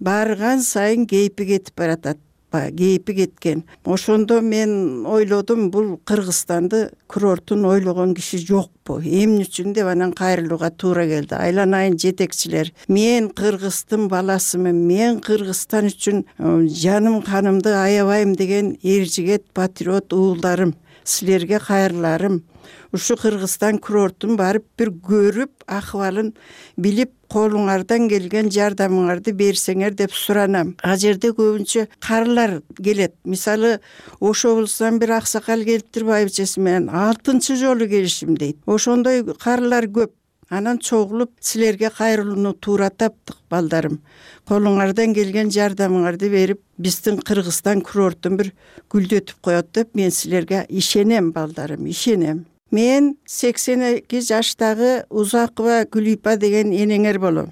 барган сайын кейпи кетип баратат. Кейпи кеткен. Ошондо мен ойлодум, бул Кыргызстанды курортун ойлогон киши жокпу? Эмне үчүн деп анан кайрылууга туура келди. Айланайын жетекчилер, мен Кыргыздын баласымын, мен Кыргызстан үчүн жаным канымды аябайм деген эржигет патриот уулдарым, силерге кайрыларым. Ушу Кыргызстан курортун барып бир көрүп, акыбалын билип, колуңардан келген жардамыңарды берсеңер деп суранам. Ал жерде көбүнчө карылар келет. Мисалы, ошо болсам бир аксакал келиптир байбичеси менен 6-чы жолу келишим дейт. Ошондой карылар көп. Анан чогулуп силерге кайрылууну туура таптык, балдарым. Колуңардан келген жардамыңарды берип, биздин Кыргызстан курортун бир гүлдөтүп коет деп мен силерге ишенем, балдарым, ишенем. Мен 82 жаштагы Узакова Гүлипа деген энеңер болом.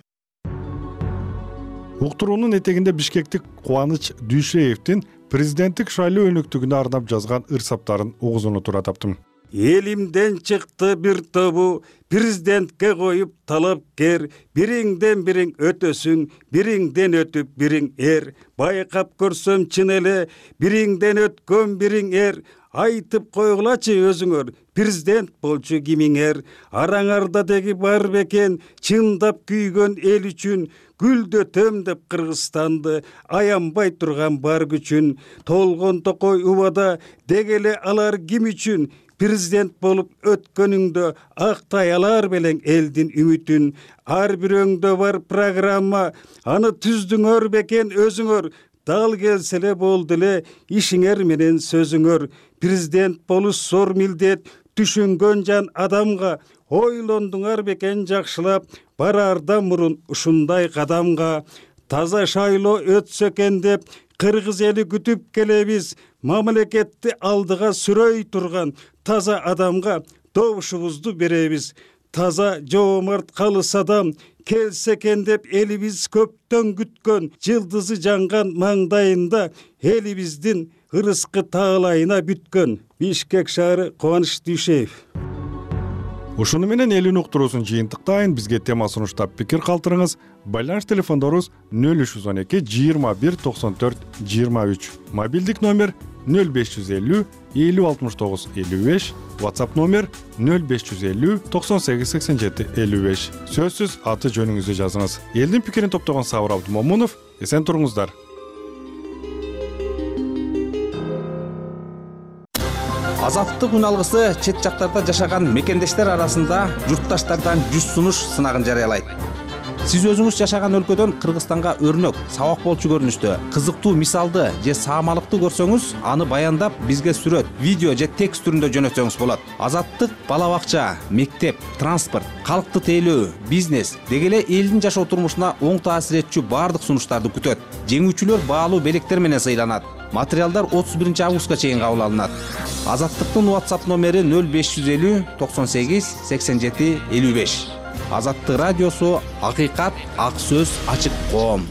Уктуруунун этегинде Бишкектик Кубаныч Дүйшеевдин президенттик шайлоо өнөктүгүнө арнап жазган ырсаптарын угузуну тура таптым. Элимден чыкты бир тобу, президентке коюп талапкер, бириңден бириң өтөсүң, бириңден өтүп бириң Байкап көрсөм чын эле, бириңден өткөн бириң Айтып койгулачы өзүңөр, президент болчу кимиңер. Араңарда деги бар бекен, чындап күйгөн эл үчүн. Гүлдөтөм деп Кыргызстанды, аянбай турган бар күчүн. Толгон токой убада, дегеле алар ким үчүн? Президент болуп өткөнүңдө актай алар белең элдин үмүтүн. Ар бирөөңдө бар программа, аны түздүңөр бекен өзүңөр. Дал келселе болду эле ишиңер менен сөзүңөр. Президент болуш зор милдет, түшүнгөн жан адамга. Ойлондуңар бекен жакшылап, бараардан мурун ушундай кадамга. Таза шайлоо өтсө экен деп кыргыз эли күтүп келебиз. Мамлекетти алдыга сүрөй турган таза адамга добушубузду беребиз. Таза жоомарт калыс адам келсе экен деп элибиз көптөн күткөн, жылдызы жанган маңдайында элибиздин ырыскы таалайына бүткөн. Бишкек шаары, Кубаныч Дүйшеев. Ушуну менен элин уктуруусун жыйынтыктайын. Бизге тема сунуштап пикир калтырыңыз. Байланыш телефондорубуз 0312 21 94 23. Мобилдик номер 0550 50 69 55. WhatsApp номер 0550 98 87 55. Сөзсүз аты жөнүңүздү жазыңыз. Элдин пикирин топтогон Сабыр Абдумомунов. Эсен туруңуздар. Азаттык үн алгысы чет жактарда жашаган мекендештер арасында журтташтардан 100 сунуш сынагын жарыялайт. Сиз өзүңүз жашаган өлкөдөн Кыргызстанга өрнөк, сабак болчу көрүнүштө, кызыктуу мисалды же саамалыкты көрсөңүз, аны баяндап бизге сүрөт, видео же текст түрүндө жөнөтсөңүз болот. Азаттык бала бакча, мектеп, транспорт, калкты тейлөө, бизнес дегеле элдин жашоо турмушуна оң таасир этчү бардык сунуштарды күтөт. Жеңүүчүлөр баалуу белектер менен сыйланат. Материалдар 31 августка чейин кабыл алынат. Азаттыктын WhatsApp номери 0550 98 87 55. Азаттык радиосу, акыйкат, ак сөз, ачык коом.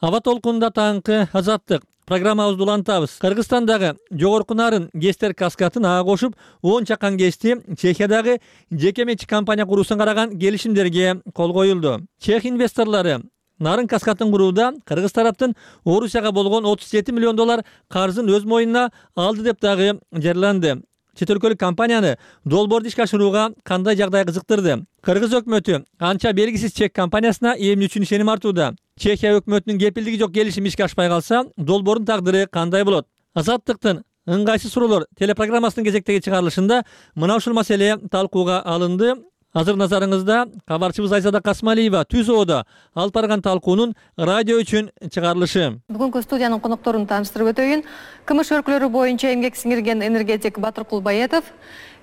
Аба толкунда таңкы Азаттык программабызды улантабыз. Кыргызстандагы жогорку нарын Гестер каскатын ага кошуп, 10 чакан гести Чехиядагы жеке менчик компания куруусун караган келишимдерге кол коюлду. Чех инвесторлору нарын каскатын курууда кыргыз тараптын Орусияга болгон $37 миллион карзын өз моюнуна алды деп дагы жарыяланды. Чет өлкөлүк компанияны долбоорду ишке ашырууга кандай жагдай кызыктырды? Кыргыз өкмөтү анча белгисиз чек компаниясына эмне үчүн ишеним артууда? Чехия өкмөтүнүн кепилдиги жок келишим ишке ашпай калса, долбоордун тагдыры кандай болот? Азаттыктын ыңгайсыз суроолор телепрограммасынын кезектеги чыгарылышында мына ушул маселе талкууга алынды. Азыр назарыңызда кабарчыбыз Айзада Касмалиева түз оодо алып барган талкуунун радио үчүн чыгарылышы. Бүгүнкү студиянын конокторун тааныштырып өтөйүн. КМШ өлкөлөрү боюнча эмгек сиңирген энергетик Батыркул Баетов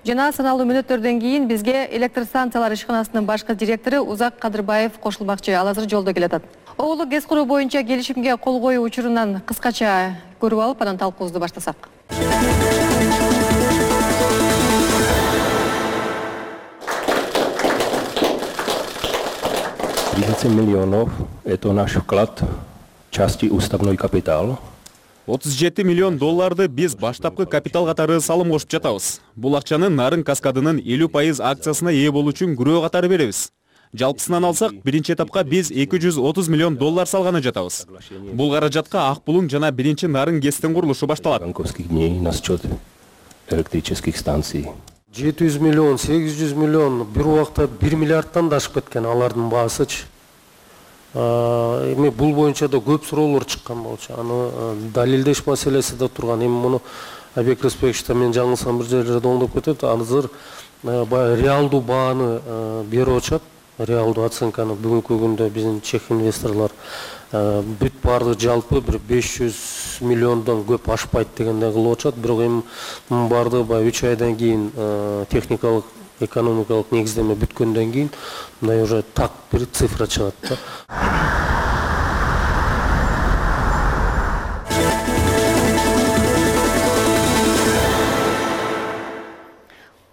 жана саналуу мүнөттөрдөн кийин бизге электр станциялар ишканасынын башкы директору Узак Кадырбаев кошулмакчы. Ал азыр жолдо келатат. Оолук ГЭС куруу боюнча келишимге кол коюу учурунан кыскача көрүп алып, анан талкуубузду баштасак. 30 миллионов – это наш вклад, части уставной капитал. 37 миллион долларды биз баштапкы капитал катары салым кошуп жатабыз. Бул акчаны Нарын каскадынын 50% акциясына ээ болуу үчүн күрөө катары беребиз. Жалпысынан алсак, биринчи этапка биз 230 миллион доллар салганы жатабыз. Бул каражатка Ак Булуң жана биринчи Нарын ГЭСтин курулушу башталат. Банковских дней на счет электрических станций. 700 миллион, 800 миллион, бир убакта 1 миллиардтан да ашып кеткен алардын баасычы. Эми бул боюнча да көп суроолор чыккан болчу. Аны далилдеш маселеси да турган. Эми муну Айбек Рыспекович да мен жаңылсам бир жерлерде оңдоп кетет. Азыр реалдуу бааны берип атышат. Реалдуу оценканы бүгүнкү күндө биздин чех инвесторлор бүт баардыгы жалпы бир 500 миллиондон көп ашпайт дегенде кылып атышат. Бирок эми баардыгы баягы 3 айдан кийин техникалык экономикалык негиздеме бүткөндөн кийин мындай уже так бир цифра чыгат да.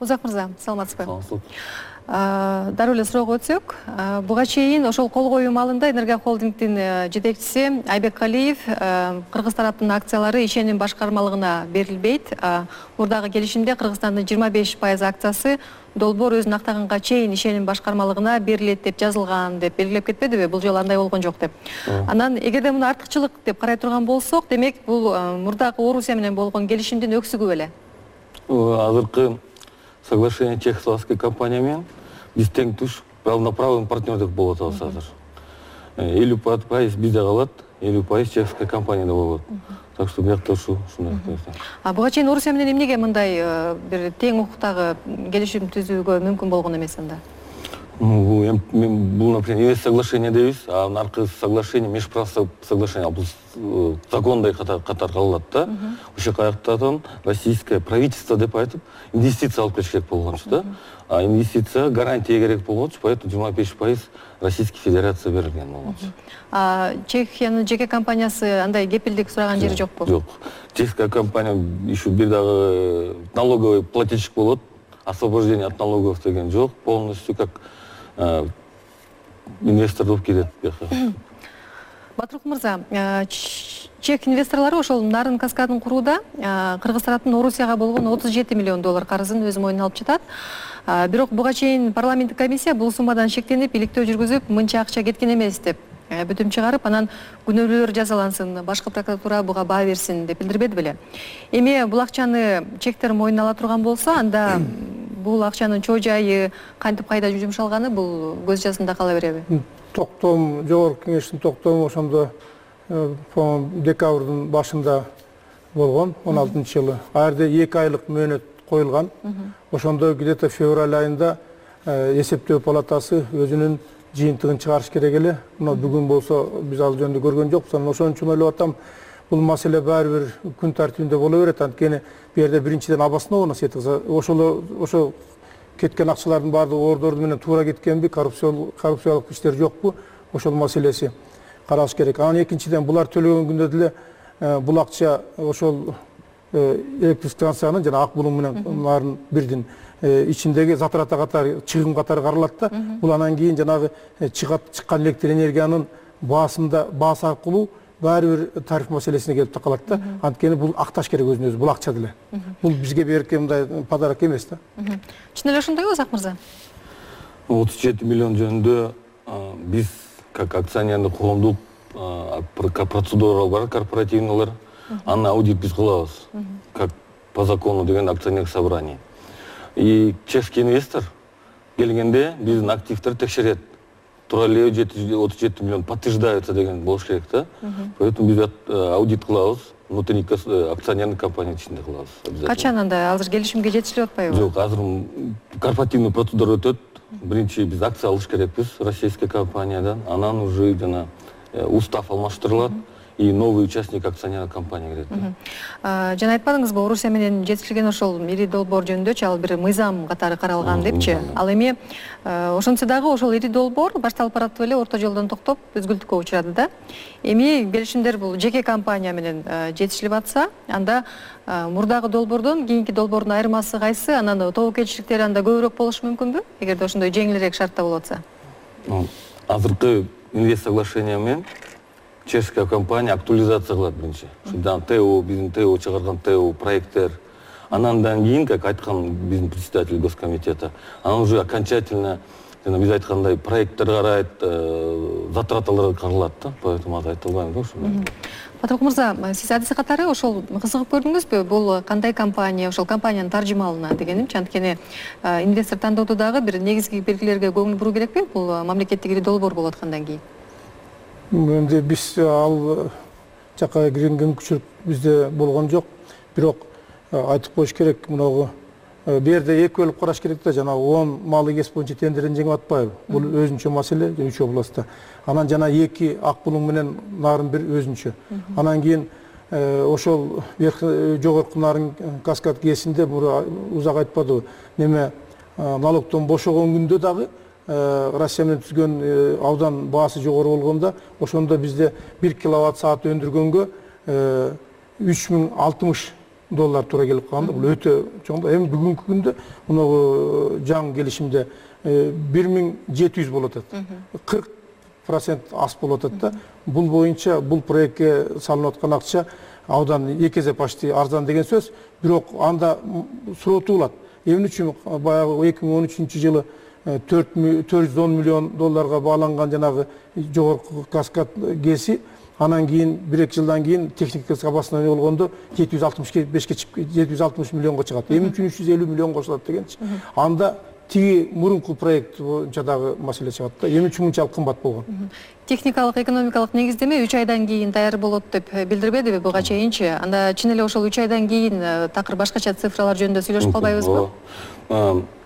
Узак мырза, саламатсызбы? Дароо эле суроого өтсөк, буга чейин ошол кол коюу маалында Энергия холдингдин жетекчиси Айбек Калиев кыргыз тараптын акциялары ишеним башкармалыгына берилбейт. Мурдагы келишимде Кыргызстандын 25% акциясы долбоор өзүн актаганга чейин ишеним башкармалыгына берилет деп жазылган деп белгилеп кетпедиби? Бул жолу андай болгон жок деп. Анан эгерде муну артыкчылык деп карай турган болсок, демек бул мурдагы Орусия менен болгон келишимдин өксүгү беле? Азыркы соглашение чехословацкой компания менен биз тең туш равноправный партнердик болуп атабыз азыр. 50% бизде калат, 50% чеховская компанияда болот. Так что бияк да ушундай. Буга чейин Орусия менен эмнеге мындай бир тең укуктагы келишим түзүүгө мүмкүн болгон эмес анда? Бул, например, есть соглашение дейбиз, а наркы соглашение, межправительственное соглашение, бул закондай катар калат да. Ошо каяктан российское правительство деп айтып, инвестиция алып келиш керек болгончу да. А инвестиция гарантия керек болгончу, поэтому 25% Российской Федерация берилген болгончу. Чехиянын жеке компаниясы андай кепилдик сураган жери жокпу? Жок. Чешская компания еще бир дагы налоговый плательщик болот, освобождение от налогов деген жок, полностью как инвестор болуп келет. Батырук мырза, чех инвесторлору ошол Нарын каскадын курууда Кыргыз тараптын Орусияга болгон $37 миллион карызын өз мойнуна алып жатат. Бирок буга чейин парламенттик комиссия бул суммадан шектенип, иликтөө жүргүзүп, мынча акча кеткен эмес деп бүтүм чыгарып, анан күнөөлөр жазалансын, башкы прокуратура буга баа берсин деп билдирбеди беле. Эми бул акчаны чектер мойнуна ала турган болсо, анда бул акчанын чоо жайы, кантип кайда жумшалганы бул көз жасында кала береби? Токтом, жогорку кеңештин токтому ошондо декабрдын башында болгон, 16-жылы. Ал жерде 2 айлык мөөнөт коюлган. Ошондо где-то февраль айында эсептөө палатасы өзүнүн жыйынтыгын чыгарыш керек эле. Мына бүгүн болсо биз ал жөнүндө көргөн жокпуз. Ошон үчүн ойлоп атам, бул маселе баары бир күн тартибинде боло берет. Анткени бу жерде биринчиден обоснованно сетиңиз, ошо кеткен акчалардын баардыгы ордорду менен туура кеткенби, коррупциялык иштер жокпу, ошол маселеси каралыш керек. Анан экинчиден булар төлөгөн күндө деле бул акча ошол электр станциянын жана ак булуң менен нарын бирдин ичиндеги затрата катары, чыгым катары каралат да. Бул анан кийин жанагы чыккан электр энергиянын баасы аркылуу баары бир тариф маселесине келип такалат да. Анткени бул акташ керек өзүн өзү, бул акча деле. Бул бизге берилген мындай подарок эмес да. Чын эле ошондойбу, Узак мырза? 37 миллион жөнүндө биз как акционерный коомдук процедуралар бар, корпоративныйлар, аны аудит биз кылабыз, как по закону деген акционерное собрание. И чешский инвестор келгенде биздин активдерди текшерет. Тура эле 37 миллион подтверждается деген болуш керек да. Поэтому биз аудит кылабыз, внутренний акционерный компания ичинде кылабыз. Качан анда азыр келишимге жетишилип атпайбы? Жок, азыр корпоративный процедура өтөт. Биринчи биз акция алыш керекпиз российская компаниядан, анан уже жана устав алмаштырылат и новый участник акционерной компании кирет. Жана айтпадыңызбы, Орусия менен жетишилген ошол ири долбоор жөнүндө ал бир мыйзам катары каралган депчи. Ал эми ошентсе дагы ошол ири долбоор башталып баратып эле орто жолдон токтоп өзгөлтүккө учурады да. Эми келишимдер бул жеке компания менен жетишилип атса, анда мурдагы долбоордон кийинки долбоордун айырмасы кайсы? Анан тобокелчиликтери анда көбүрөөк болушу мүмкүнбү? Эгерде ошондой жеңилирээк шартта болуп атса. Азыркы инвест соглашение менен чешская компания актуализация кылат биринчи. Ушундан ТО, биздин ТО чыгарган ТО проекттер. Андан кийин, как айткан биздин председатель госкомитета, анан уже окончательно жана биз айткандай проекттер карайт, затраталар каралат да. Поэтому аз айта албайм да ушуну. Батырук мырза, сиз адиси катары ошол кызыгып көрдүңүзбү? Бул кандай компания, ошол компаниянын таржымалына дегенимчи, анткени инвестор тандоодо дагы бир негизги белгилерге көңүл буруу керекпи? Бул мамлекеттик ири долбоор болуп аткандан кийин. Эми биз ал жака киргенге мүмкүнчүлүк бизде болгон жок. Бирок айтып коюш керек, мынагы бу жерде эки бөлүп караш керек да, жана 10 мал эгес боюнча тендерин жеңип атпайбы? Бул өзүнчө маселе, 3 областта. Анан жана 2 ак булуң менен нарын бир өзүнчө. Анан кийин ошол жогорку нарын каскад кесинде узак айтпадыбы, неме налогдон бошогон күндө дагы Россия менен түзгөн аудан баасы жогору болгондо, ошондо бизде 1 киловатт саат өндүргөнгө 3060 доллар туура келип калганда бул өтө чоң. Эми бүгүнкү күндө мына жаңы келишимде 1700 болуп атат. 40% аз болуп атат да. Бул боюнча бул проектке салынып аткан акча аудан 2 эсе почти арзан деген сөз. Бирок анда суроо туулат. Эмне үчүн баягы 2013 жылы 410 миллион долларга бааланган жанагы жогорку каскад гэси анан кийин 1-2 жылдан кийин техникасы обоснование болгондо 765-ке чыгып 760 миллионго чыгат. Эми үчүн 350 миллион кошулат дегенчи. Анда тиги мурунку проект боюнча дагы маселе чыгат да. Эми үчүн мынчалык кымбат болгон. Техникалык экономикалык негиздеме 3 айдан кийин даяр болот деп билдирбедиби буга чейинчи? Анда чын эле ошол 3 айдан кийин такыр башкача цифралар жөнүндө сүйлөшүп калбайбызбы?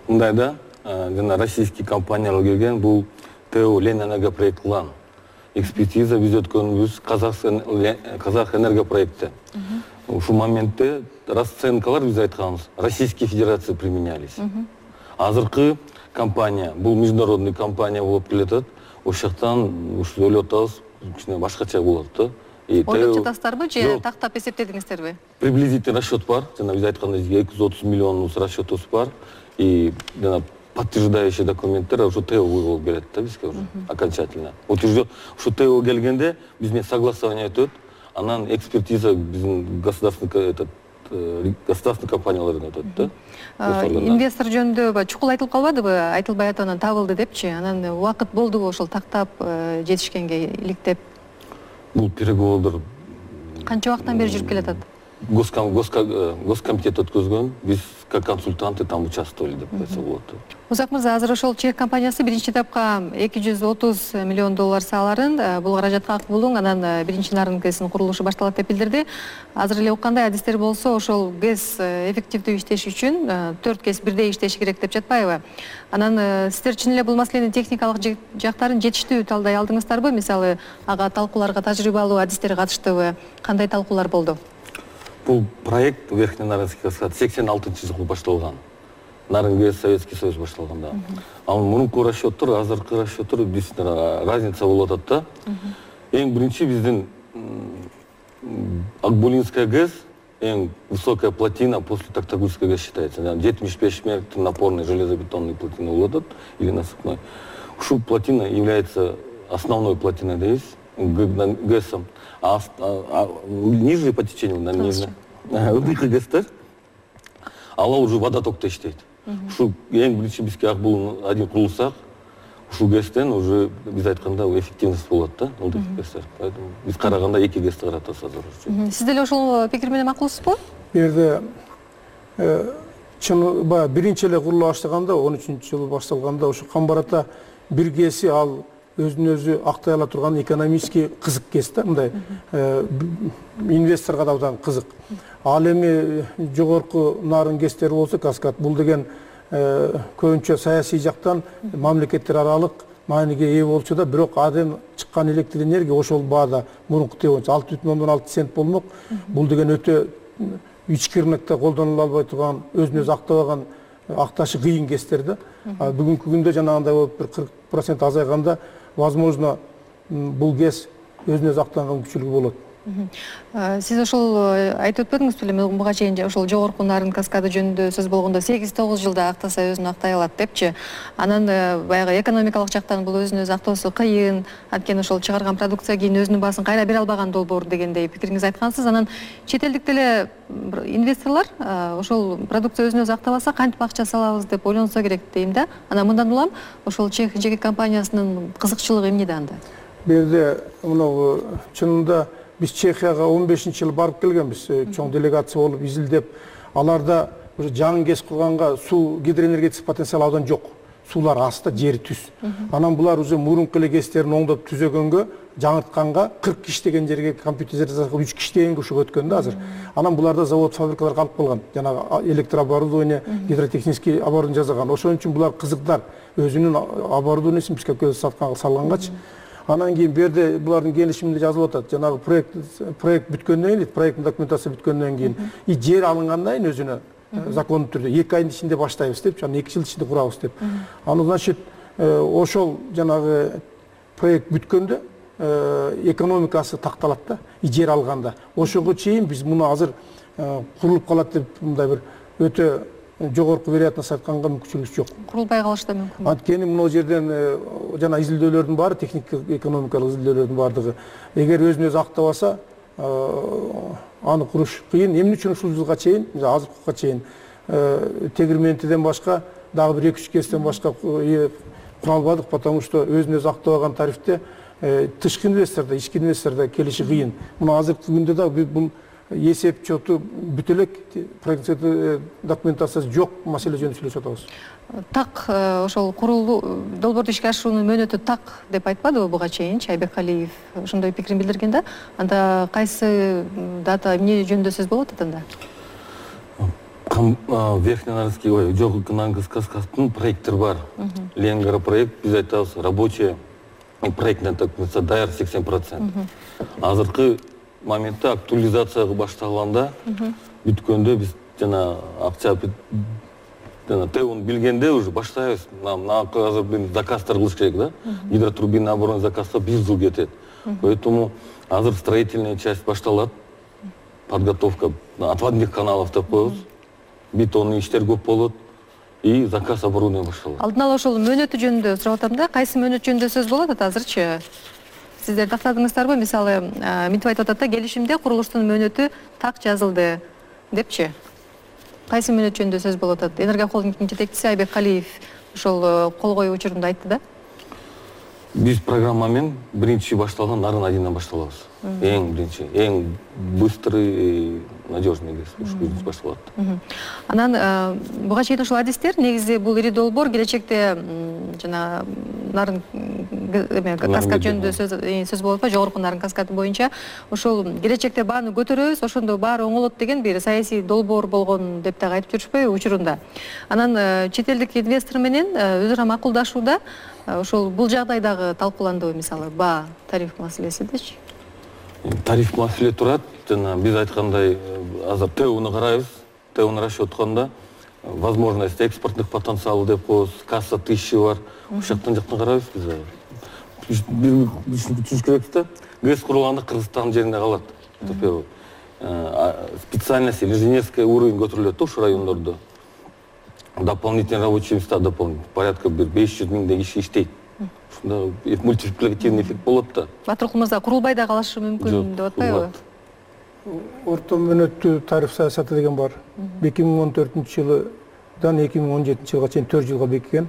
Мындай да, жана российский компаниялар келген, бул ТО Ленэнерго проект кылган. Экспертиза биз өткөнбүз Казах энергопроекти. Ушул моментте расценкалар биз айтканбыз Российской Федерации применялись. Азыркы компания, бул международный компания болуп келатат. Ошол жактан ушу ойлоп атабыз, кичине башкача болот да. Ойлоп жатасыздарбы же тактап эсептедиңиздерби? Приблизительный расчет бар. Жана биз айткандай 230 миллионубуз расчетубуз бар. И жана подтверждающий документтер ошо ТО болуп келет да бизге уже окончательно. Утвержден ушу ТО келгенде биз менен согласование өтөт. Анан экспертиза биздин государственный компаниялардан өтөт да. Инвестор жөнүндө чукул айтылып калбадыбы? Айтылбай атынан табылды депчи. Анан убакыт болдубу ошол тактап жетишкенге иликтеп? Бул переговордор канча убакыттан бери жүрүп келатат? Госкомитет өткөзгөн, биз как консультанты там участвовали деп айтса болот. Узак мырза, азыр ошол чек компаниясы биринчи этапка 230 миллион доллар саларын, бул каражатка ак булуң, анан биринчи нарын ГЭСин курулушу башталат деп билдирди. Азыр эле уккандай адистер болсо, ошол ГЭС эффективдүү иштеши үчүн 4 ГЭС бирдей иштеши керек деп жатпайбы? Анан сиздер чын эле бул маселенин техникалык жактарын жетиштүү талдай алдыңыздарбы? Мисалы, ага талкууларга тажрыйбалуу адистер катыштыбы? Кандай талкуулар болду? Бул проект Верхний Нарынский каскад 86-жылы башталган. Нарын ГЭС Советский Союз башталганда. Ал мурунку расчеттор, азыркы расчеттор действительно разница болуп атат да. Эң биринчи биздин Акбулинская ГЭС эң высокая плотина после Токтагульской ГЭС считается. 75 метров напорной железобетонной плотины болуп атат или насыпной. Ушул плотина является основной плотиной ГЭСом. А ниже по течению, ниже, ГЭСтер, алар уже водотокто иштейт. Ушу эң биринчи бизге Акбулун один курулсак, ушул ГЭСтен уже биз айтканда эффективность болот да, мындай ГЭСтер. Поэтому биз караганда 2 ГЭСти каратабыз азыр. Сиз деле ошол пикир менен макулсузбу? Бу жерде чын баягы биринчи эле курулуп баштаганда 13-жылы башталганда ошо Камбарата бир ГЭСи ал өзүн өзү актай ала турган экономический кызык ГЭС да, мындай инвесторго да абдан кызык. Ал эми жогорку нарын ГЭСтери болсо каскад, бул деген көбүнчө саясий жактан мамлекеттер аралык мааниге ээ болчу да, бирок адем чыккан электр энергия ошол баада мурунку боюнча 6,6 цент болмок. Бул деген өтө ички рынокто колдонула албай турган, өзүн өзү актабаган, акташы кыйын ГЭСтер да. Бүгүнкү күндө жанагындай болуп бир 40% азайганда возможно бул ГЭС өзүн өзү актанган күчүлүгү болот. Сиз ошол айтып өтпөдүңүз белем, буга чейин ошол жогорку нарын каскады жөнүндө сөз болгондо 8-9 жылда актаса өзүн актай алат депчи. Анан баягы экономикалык жактан бул өзүн өзү актоосу кыйын, анткени ошол чыгарган продукция кийин өзүнүн баасын кайра бере албаган долбоор дегендей пикириңиз айткансыз. Анан чет элдик деле инвесторлор ошол продукция өзүн өзү актабаса кантип акча салабыз деп ойлонсо керек дейм да. Анан мындан улам ошол чек компаниясынын кызыкчылыгы эмнеде анда? Бу жерде мына чынында биз Чехияга 15-жылы барып келгенбиз, чоң делегация болуп изилдеп, аларда уже жаңы ГЭС курганга суу гидроэнергетик потенциал абдан жок. Суулар аз да, жери түз. Анан булар уже мурунку эле ГЭСтерин оңдоп түзөгөнгө, жаңыртканга 40 киши деген жерге компьютеризация кылып 3 киши дегенге ушу өткөн да азыр. Анан буларда завод, фабрикалар калып калган. Жанагы электрооборудование, гидротехнический оборудование жасаган. Ошон үчүн булар кызыктар. Өзүнүн оборудованиесин бизге сатканга салгангачы. Анан кийин бу жерде булардын келишиминде жазылып атат. Жанагы проект бүткөндөн кийин, проекттин документациясы бүткөндөн кийин, жер алынгандан кийин өзүнө закондуу түрдө 2 айдын ичинде баштайбыз деп, жана 2 жыл ичинде курабыз деп. Аны значит ошол жанагы проект бүткөндө экономикасы такталат да, жер алганда. Ошого чейин биз муну азыр курулуп калат деп мындай бир өтө жогорку вероятность айтканга мүмкүнчүлүгүбүз жок. Курулбай калышы да мүмкүн. Анткени мына жерден жана изилдөөлөрдүн баары, техниктик экономикалык изилдөөлөрдүн баардыгы эгер өзүн өзү актабаса, аны куруш кыйын. Эмне үчүн ушул жылга чейин, азыркы убакка чейин тегирментиден башка дагы бир 2-3 кестен башка кура албадык, потому что өзүн өзү актабаган тарифте тышкы инвестордо, ички инвестордо келиши кыйын. Мына азыркы күндө да бул есеп чоту бүт элек, проект документациясы жок маселе жөнүндө сүйлөшүп атабыз. Так ошол курулуу долбоорду ишке ашыруунун мөөнөтү так деп айтпадыбы буга чейинчи Айбек-Алиев? Ошондой пикирин билдирген да. Анда кайсы дата эмне жөнүндө сөз болуп атат анда? Верхненарский, жогорку Канангас-Каскадтын проекттери бар. Ленгара проект, биз айтабыз, рабочая и проектная документация даяр 80%. Азыркы моментте актуализацияга башталганда, бүткөндө биз жана акча ТЭУны билгенде уже баштайбыз. Азыр бир заказдар кылыш керек да. Гидротурбина оборона заказга 1 жыл кетет. Поэтому азыр строительная часть башталат. Подготовка отводных каналов деп коебуз. Бетонный иштер көп болот и заказ оборудования башталат. Алдын ала ошол мөөнөтү жөнүндө сурап атам да, кайсы мөөнөт жөнүндө сөз болот азырчы? Сиздер тактадыңыздарбы? Мисалы, мынтип айтып атат да, келишимде курулуштун мөөнөтү так жазылды депчи. Кайсы мөөнөт жөнүндө сөз болуп атат? Энергия холдингдин жетекчиси Айбек-Алиев ошол кол коюу учурунда айтты да. Биз программамен биринчи башталган нарын айынан башталабыз. Эң биринчи, эң быстрый, надежный бизнес башталат. Анан буга чейин ушул адистер негизи бул ири долбоор келечекте жана нарын каскад жөнүндө сөз болуп атпайбы, жогорку нарын каскады боюнча ошол келечекте бааны көтөрөбүз, ошондо баары оңолот деген бир саясий долбоор болгон деп дагы айтып жүрүшпөйбү учурунда. Анан чет элдик инвестор менен өз ара макулдашууда ошол бул жагдай дагы талкууландыбы, мисалы баа тариф маселесидечи? Тариф маселе турат. Жана биз айткандай азыр ТЭУны карайбыз. ТЭУны расчетканда возможность экспортных потенциалы деп коебуз, касса 1000 бар. Ошол жактан карайбыз биз. Түшүш керек да. ГЭС курулганда Кыргызстан жеринде калат. Специальность инженерский уровень көтөрүлөт да ушул райондордо. Дополнительные рабочие места дополнительно. Порядка 500 миңдей киши иштейт. Ушунда мультипликативный эффект болот да. Батыркул мырза, курулбай да калышы мүмкүн деп атпайбы? Орто мөөнөттүү тариф саясаты деген бар. 2014-жылдан 2017-жылга чейин 4 жылга бекиген.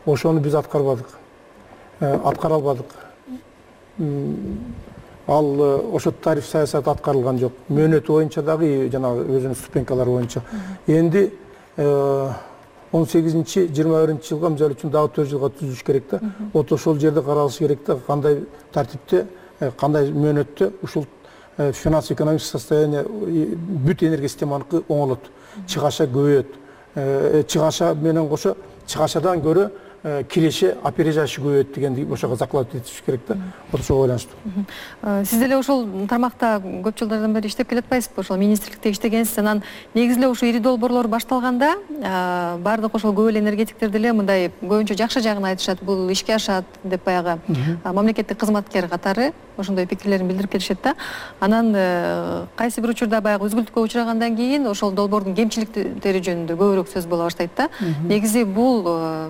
Ошону биз аткара албадык. Ал ошо тариф саясаты аткарылган жок. Мөөнөтү боюнча дагы жана өзүнүн ступенькалары боюнча. Энди 18-21-жылга мисалы үчүн дагы 4 жылга түзүш керек да. Ошол жерде каралыш керек да, кандай тартипте, кандай мөөнөттө ушул финансово-экономический состояние бүт энергия системаныкы оңолот, чыгаша көбөйөт. Чыгаша менен кошо чыгашадан көрө киреше опережающий көбөйөт дегенди ошого закладывать этиш керек да. Ошого байланыштуу. Сиз деле ошол тармакта көп жылдардан бери иштеп келатпайсызбы? Ошол министрликте иштегенсиз. Анан негизи эле ушул ири долбоорлор башталганда баардык ошол көп эле энергетиктер деле мындай көбүнчө жакшы жагын айтышат, бул ишке ашат деп баягы мамлекеттик кызматкер катары ошондой пикирлерин билдирип келишет да. Анан кайсы бир учурда баягы үзгүлтүккө учрагандан кийин ошол долбоордун кемчиликтери жөнүндө көбүрөөк сөз боло баштайт да. Негизи бул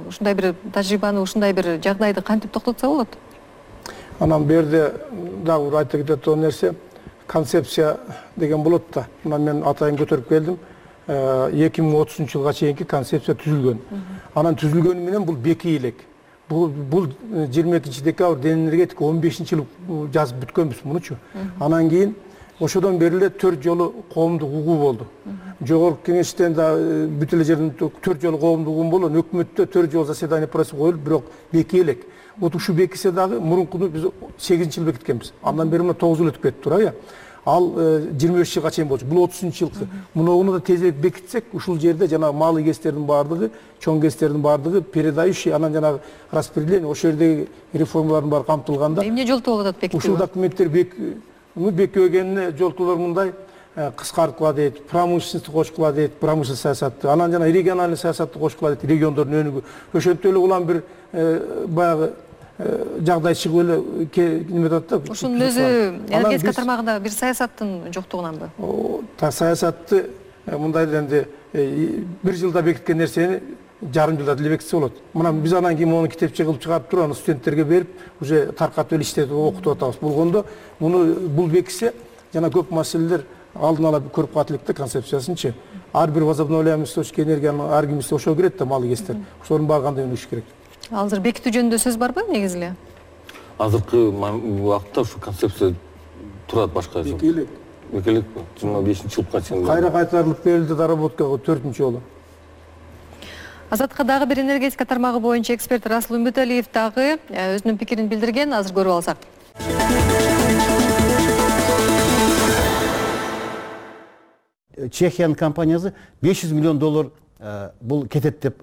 ушундай бир тажрыйбаны, ушундай бир жагдайды кантип токтотсо болот? Анан берде дагы бир айта кетет нерсе, концепция деген болот да. Мына мен атайын көтөрүп келдим. 2030-жылга чейинки концепция түзүлгөн. Анан түзүлгөнү менен бул бекий элек. Бул 22-декабрь энергетика 15-жыл жазып бүткөнбүз мунучу. Анан кийин ошодон бери эле 4 жолу коомдук угуу болду. Жогорку кеңештен да бүт эле жерден 4 жолу коомдук угуу болду. Өкмөттө 4 жолу заседание процесси коюлуп, бирок бекий элек. Вот ушу бекисе дагы мурункуну биз 8-жыл бекиткенбиз. Андан бери мына 9 жыл өтүп кетти турабы? Ал 25 жылга чейин болчу. Бул 30-жылкы. Муну да тезирээк бекитсек, ушул жерде жана мал эгестердин баардыгы, чоң эгестердин баардыгы передающий, анан жана распределение, ошол жердеги реформалардын баары камтылганда. Эмне жолтоо болот бекитүү? Ушул документтер бекебегенине жолтоолор мындай кыскартыла дейт, промышленность кошкула дейт, промышленный саясатты, анан жана региональный саясатты кошкула дейт, региондордун өнүгүү. Ошентип эле улам бир баягы жагдай чыгып эле неме атат да. Ушунун өзү энергетика тармагында бир саясаттын жоктугунанбы? Саясатты мындай эле бир жылда бекиткен нерсени жарым жылда деле бекитсе болот. Мына биз анан кийин муну китепче кылып чыгарып туруп, аны студенттерге берип, уже таркатып эле иштетип окутуп атабыз. Болгондо бул бекитсе, жана көп маселелер алдын ала көрүп калат элек да концепциясынчы. Ар бир возобновляемый источник энергиянын ар кимисе ошо кирет да мал кестер. Ошонун баары кандай өнүгүш керек. Азыр бекитүү жөнүндө сөз барбы негизи эле? Азыркы убакытта ушу концепция турат башка. Бекилик. Бекилик 25-жылга чейин. Кайра кайтарылып берилди доработкага 4-чү жолу. Азатка дагы бир энергетика тармагы боюнча эксперт Расул Үмбөталиев дагы өзүнүн пикирин билдирген. Азыр көрүп алсак. Чехиянын компаниясы 500 миллион доллар бул кетет деп,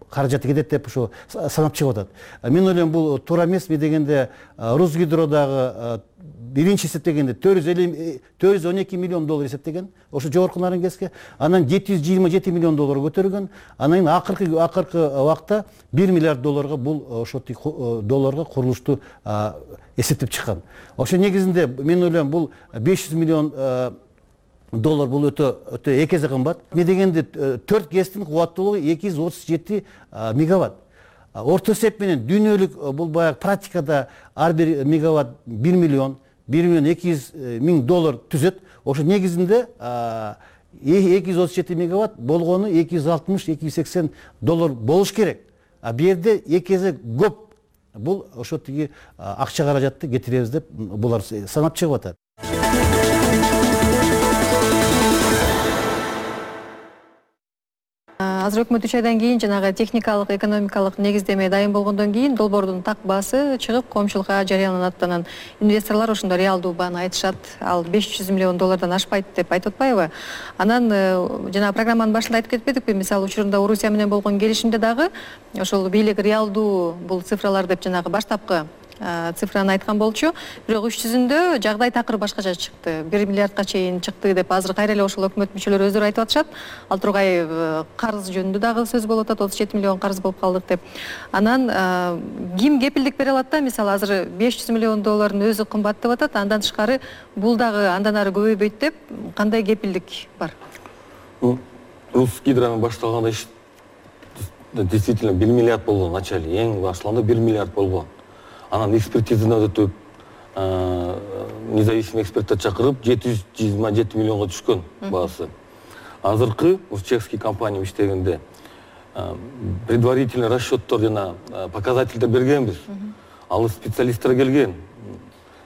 каражаты кетет деп ошо санап чыгып атат. Мен ойлойм бул туура эмес. Мен дегенде Русгидродагы биринчи эсептегенде 412 миллион доллар эсептеген. Ошо жогорку Нарынгеске. Анан 727 миллион доллар көтөргөн. Анан акыркы убакта 1 миллиард долларга бул ошо долларга курулушту эсептеп чыккан. Ошо негизинде мен ойлойм бул 500 миллион доллар бул өтө эки эсе кымбат. Эмне дегенде 4 ГЭСтин кубаттуулугу 237 мегаватт. Орто эсеп менен дүйнөлүк бул баягы практикада ар бир мегаватт 1 миллион 200 миң доллар түзөт. Ошо негизинде 237 мегаватт болгону 260-280 доллар болуш керек. А бу жерде эки эсе көп. Бул ошо тиги акча каражатты кетиребиз деп булар санап чыгып атат. Азыр өкмөт 3 айдан кийин жанагы техникалык, экономикалык негиздеме дайын болгондон кийин долбоордун так баасы чыгып, коомчулукка жарыяланат. Анан инвесторлор ошондо реалдуу бааны айтышат. Ал 500 миллион доллардан ашпайт деп айтып атпайбы? Анан жана программанын башында айтып кетпедикпи? Мисалы учурунда Орусия менен болгон келишимде дагы ошол бийлик реалдуу бул цифралар деп жанагы баштапкы цифраны айткан болчу. Бирок иш жүзүндө жагдай такыр башкача чыкты. 1 миллиардка чейин чыкты деп азыр кайра эле ошол өкмөт мүчөлөрү өздөрү айтып атышат. Ал Тургаев карыз жөнүндө дагы сөз болуп атат. 37 миллион карыз болуп калдык деп. Анан ким кепилдик бере алат да? Мисалы азыр 500 миллион доллардын өзү кымбат деп атат. Андан тышкары бул дагы андан ары көбөйбөйт деп кандай кепилдик бар? Русгидромен башталганда действительно 1 миллиард болгон начале. Эң башталганда 1 миллиард болгон. Анан экспертизаны өтүп, независимый эксперттер чакырып 727 миллионго түшкөн баасы. Азыркы чешский компания иштегенде предварительный расчеттор жана показательдер бергенбиз. Ал специалисттер келген.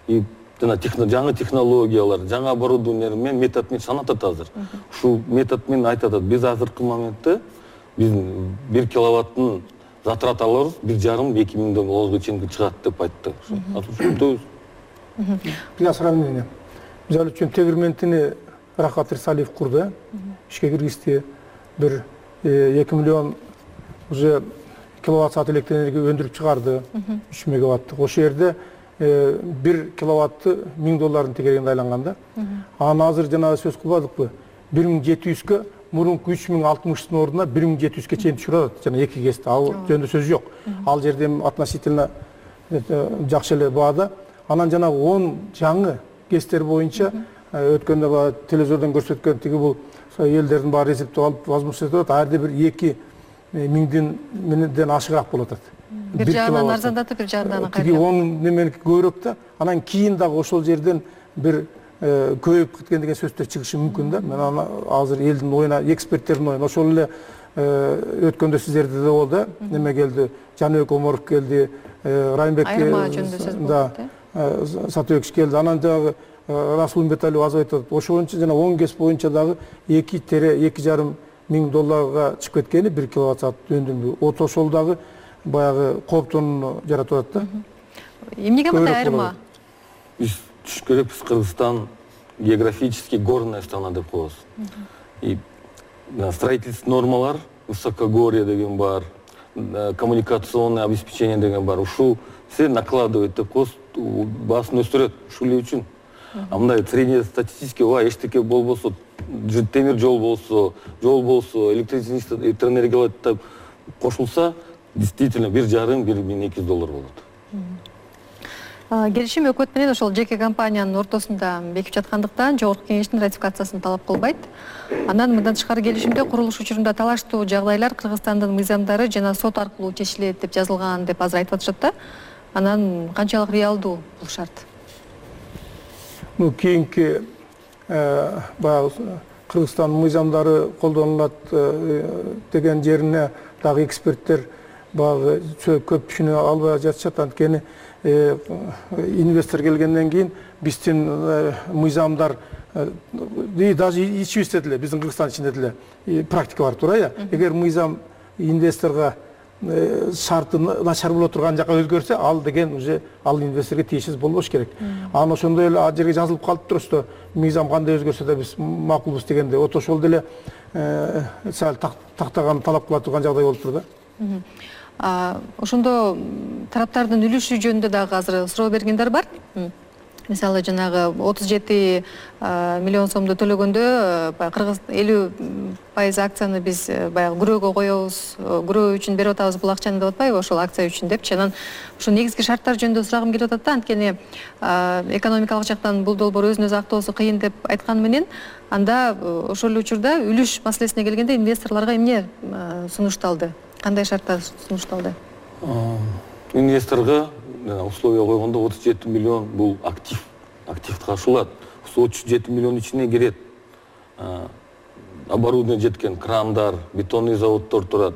И жаңы технологиялар, жаңы оборудование менен метод менен санатат азыр. Ушул метод менен айтат, биз азыркы моментте биз 1 киловаттын затрат алабыз, 1,5-2 миң долларга чейин чыгат деп айтты. Для сравнения. Мисалы үчүн Тегирментини Рахат Ирсалиев курду, ишке киргизди. Бир 2 миллион уже киловатт саат электр энергия өндүрүп чыгарды, 3 мегаваттык. Ошол жерде 1 киловатты 1000 доллардын тегерегинде айланганда. Анан азыр жана сөз кылбадыкпы? 1700-кө мурунку 3060-тын ордуна 1700-ке чейин түшүрөт жана 2 ГЭСти. Ал жөнүндө сөз жок. Ал жерде относительно жакшы эле баада. Анан жана 10 жаңы ГЭСтер боюнча өткөндө телевизордон көрсөткөн тиги бул элдердин баары эсептеп алып возможность этип атат. Ар бир 2 миңден ашыгыраак болуп атат. Бир жагынан арзандатып, бир жагынан кайра. Тиги 10 неменики көбүрөөк да. Анан кийин дагы ошол жерден бир көбөйүп кеткен деген сөздөр чыгышы мүмкүн да. Мен аны азыр элдин оюна, эксперттердин оюна ошол эле өткөндө сиздерде да болду, неме келди, Жаныбек Оморов келди, Райымбек Сатыбеков келди. Анан дагы Расул Үмбөталиев азыр айтат. Ошол боюнча жана 10 ГЭС боюнча дагы 2,5 миң долларга чыгып кеткени 1 киловатт саат өндүрүлдү. Ошол дагы баягы кооптонууну жаратып атат да. Эмнеге мындай айырма? Түш керек, биз Кыргызстан географически горная страна деп коебуз. И строительство нормалар, высокогорье деген бар, коммуникационное обеспечение деген бар. Ушул все накладывает деп коебуз, баасын өстүрөт. Ушул эле үчүн. А мындай среднестатистический эчтеке болбосо, темир жол болсо, электроэнергия кошулса, действительно 1,5-1,2 доллар болот. Келишим өкмөт менен ошол жеке компаниянын ортосунда бекип жаткандыктан жогорку кеңештин ратификациясын талап кылбайт. Анан мындан тышкары келишимде курулуш учурунда талаштуу жагдайлар Кыргызстандын мыйзамдары жана сот аркылуу чечилет деп жазылган деп азыр айтып атышат да. Анан канчалык реалдуу бул шарт? Кийинки баягы Кыргызстандын мыйзамдары колдонулат деген жерине дагы эксперттер баягы көп түшүнө албай жатышат. Анткени инвестор келгенден кийин биздин мыйзамдар даже ичибизде деле, биздин Кыргызстан ичинде деле практика бар тура. Эгер мыйзам инвесторго шарты начар боло турган жака өзгөрсө, ал деген уже ал инвесторго тиешеси болбош керек. Анан ошондой эле ал жерге жазылып калып турсу, мыйзам кандай өзгөрсө да биз макулбуз дегенде, ошол деле сал тактаган талап кыла турган жагдай болуп тур да. Ошондо тараптардын үлүшү жөнүндө дагы азыр суроо бергендер бар. Мисалы жанагы 37 миллион сомду төлөгөндө Кыргыз 50% акцияны биз баягы күрөөгө коебуз, күрөө үчүн берип атабыз бул акчаны деп атпайбы, ошол акция үчүн депчи. Анан ошо негизги шарттар жөнүндө сурагым келип атат да, анткени экономикалык жактан бул долбоор өзүн өзү актоосу кыйын деп айтканы менен, анда ошол учурда үлүш маселесине келгенде инвесторлорго эмне сунушталды? Кандай шарттар сунушталды? Инвесторго условия койгондо 37 миллион бул актив кошулат. 37 миллион ичине кирет оборудование жеткен крандар, бетонный заводдор турат,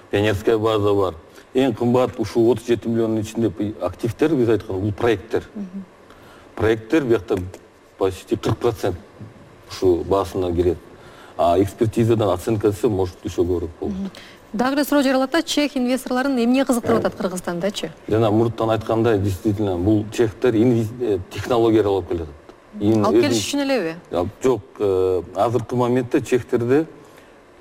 пионерская база бар. Эң кымбат ушул 37 миллиондун ичинде активдер, биз айткан бул проекттер. Проекттер бияқта почти 40% ушу баасына кирет. А экспертизадан оценкасы может еще көбүрөөк болот. Дагы суроо жаралат да, чех инвесторлорун эмне кызыктырып атат Кыргызстандачы? Жана мурттан айткандай, действительно бул чехтер технология алып келет. Алып келиш үчүн элеби? Жок, азыркы моментте чехтерде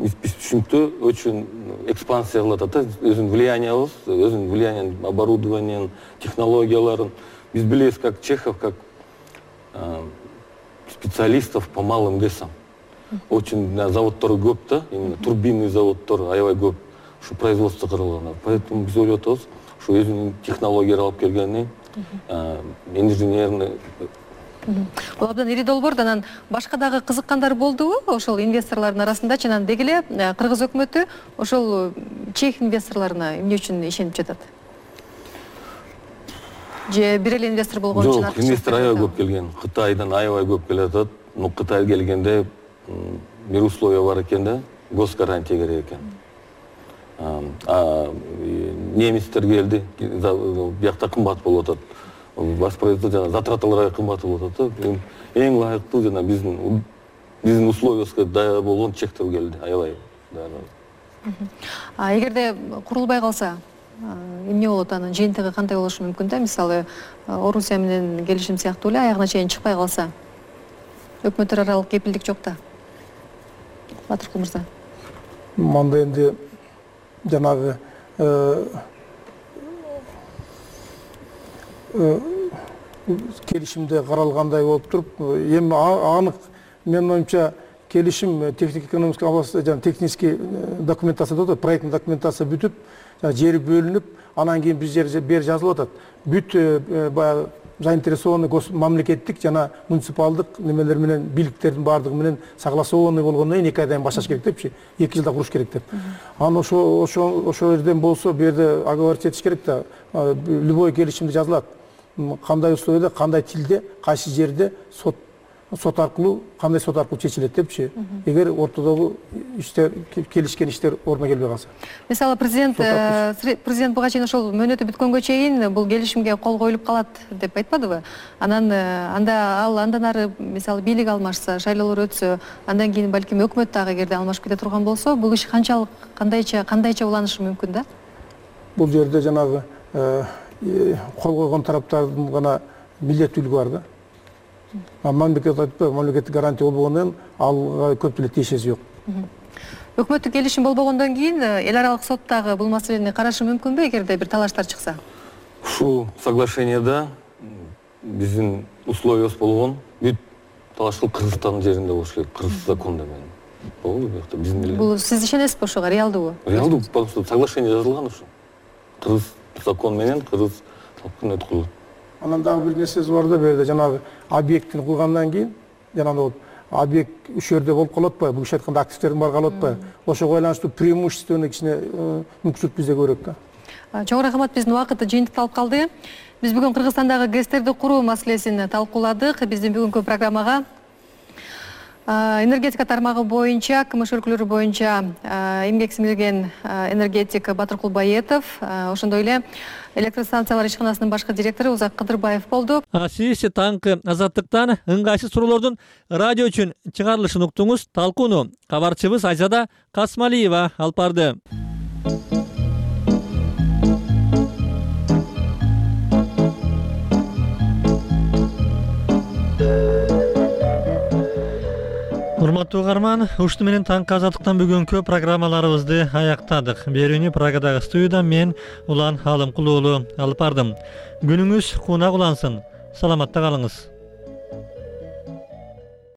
биз түшүнүктүү очень экспансия кылып атат, өзүнүн влияниябыз, өзүнүн влияниянын, оборудованиянын, технологияларын. Биз билебиз как чехов, как специалистов по малым весам. Очень заводдор көп да, именно турбинный заводдор аябай көп, ушу производство кырылган. Поэтому биз ойлоп атабыз, ушу өзүнүн технологиялар алып келгенин, инженерный. Бул абдан ири долбоор, анан башка дагы кызыккандар болдубу ошол инвесторлордун арасында? Анан деги эле Кыргыз өкмөтү ошол чех инвесторлоруна эмне үчүн ишенип жатат? Же бир эле инвестор болгон үчүн? Жок, инвестор аябай көп келген. Кытайдан аябай көп келатат. Но Кытай келгенде бир условия бар экен да, госгарантия керек экен. Немецтер келди, биякта кымбат болуп атат. Воспроизводство жана затраталар кымбат болуп атат. Эң ылайыктуу жана биздин условиябызга даяр болгон чехтер келди, аябай. Эгерде курулбай калса, эмне болот? Анын жыйынтыгы кандай болушу мүмкүн да? Мисалы, Орусия менен келишим сыяктуу эле аягына чейин чыкпай калса, өкмөттөр аралык кепилдик жок да. Батыркул мырза. Мында энди жанагы келишимде каралгандай болуп туруп, эми анык менин оюмча келишим технико-экономикалык областта жана технический документация деп атат, проектный документация бүтүп, жери бөлүнүп, анан кийин биз бери жазылып атат. Бүт баягы заинтересованный мамлекеттик жана муниципалдык немелер менен бийликтердин баардыгы менен согласованный болгондон кийин 2 айдан башташ керек депчи, 2 жылда куруш керек деп. Анан ошол жерден болсо бу жерде оговорить этиш керек да, любой келишимде жазылат. Кандай условияда, кандай тилде, кайсы жерде сот аркылуу, кандай сот аркылуу чечилет депчи. Эгер ортодогу иштер, келишкен иштер ордуна келбей калса. Мисалы президент буга чейин ошол мөөнөтү бүткөнгө чейин бул келишимге кол коюлуп калат деп айтпадыбы? Анан андан ары мисалы бийлик алмашса, шайлоолор өтсө, андан кийин балким өкмөт дагы эгерде алмашып кете турган болсо, бул иш канчалык кандайча уланышы мүмкүн да? Бул жерде жанагы кол койгон тараптардын гана милдеттүүлүгү бар да. Мамлекеттик гарантия болбогондон алга көп деле тиешеси жок. Өкмөттүк келишим болбогондон кийин эл аралык сот дагы бул маселени карашы мүмкүнбү эгерде бир талаштар чыкса? Ушул соглашениеда биздин условиябыз болгон, бүт талаштуу Кыргызстандын жеринде болуш керек, кыргыз законда менен. Болду бuyakta биздин эле. Бул сиз ишенесизби ошого, реалдуубу? Реалдуу, потому что соглашение жазылган ушу. Кыргыз закон менен кыргыз талкын өткөрүлөт. Анан дагы бир нерсеси бар да, бул жерде жанагы объектини кургандан кийин жанагы объект ушул жерде болуп калып атпайбы, буюрса айтканда активтердин баары калып атпайбы. Ошого байланыштуу преимущественно кичине мүмкүнчүлүк бизде көбүрөөк да. Чоң рахмат, биздин убакыт жыйынтыкталып калды. Биз бүгүн Кыргызстандагы ГЭСтерди куруу маселесин талкууладык. Биздин бүгүнкү программага энергетика тармагы боюнча, КМШ өлкөлөрү боюнча эмгек сиңирген энергетик Батыркул Баетов, ошондой эле электростанциялар ишканасынын башкы директору Узак Кадырбаев болду. Сиз таңкы Азаттыктан ыңгайсыз суроолордун радио үчүн чыгарылышын уктуңуз. Талкууну кабарчыбыз Айзада Касмалиева алып барды. Урматтуу угарман, ушуну менен таңкы Азаттыктан бүгүнкү программаларыбызды аяктадык. Берүүнү Прагадагы студиядан мен Улан Алымкул уулу алып бардым. Күнүңүз кунак улансын. Саламатта калыңыз.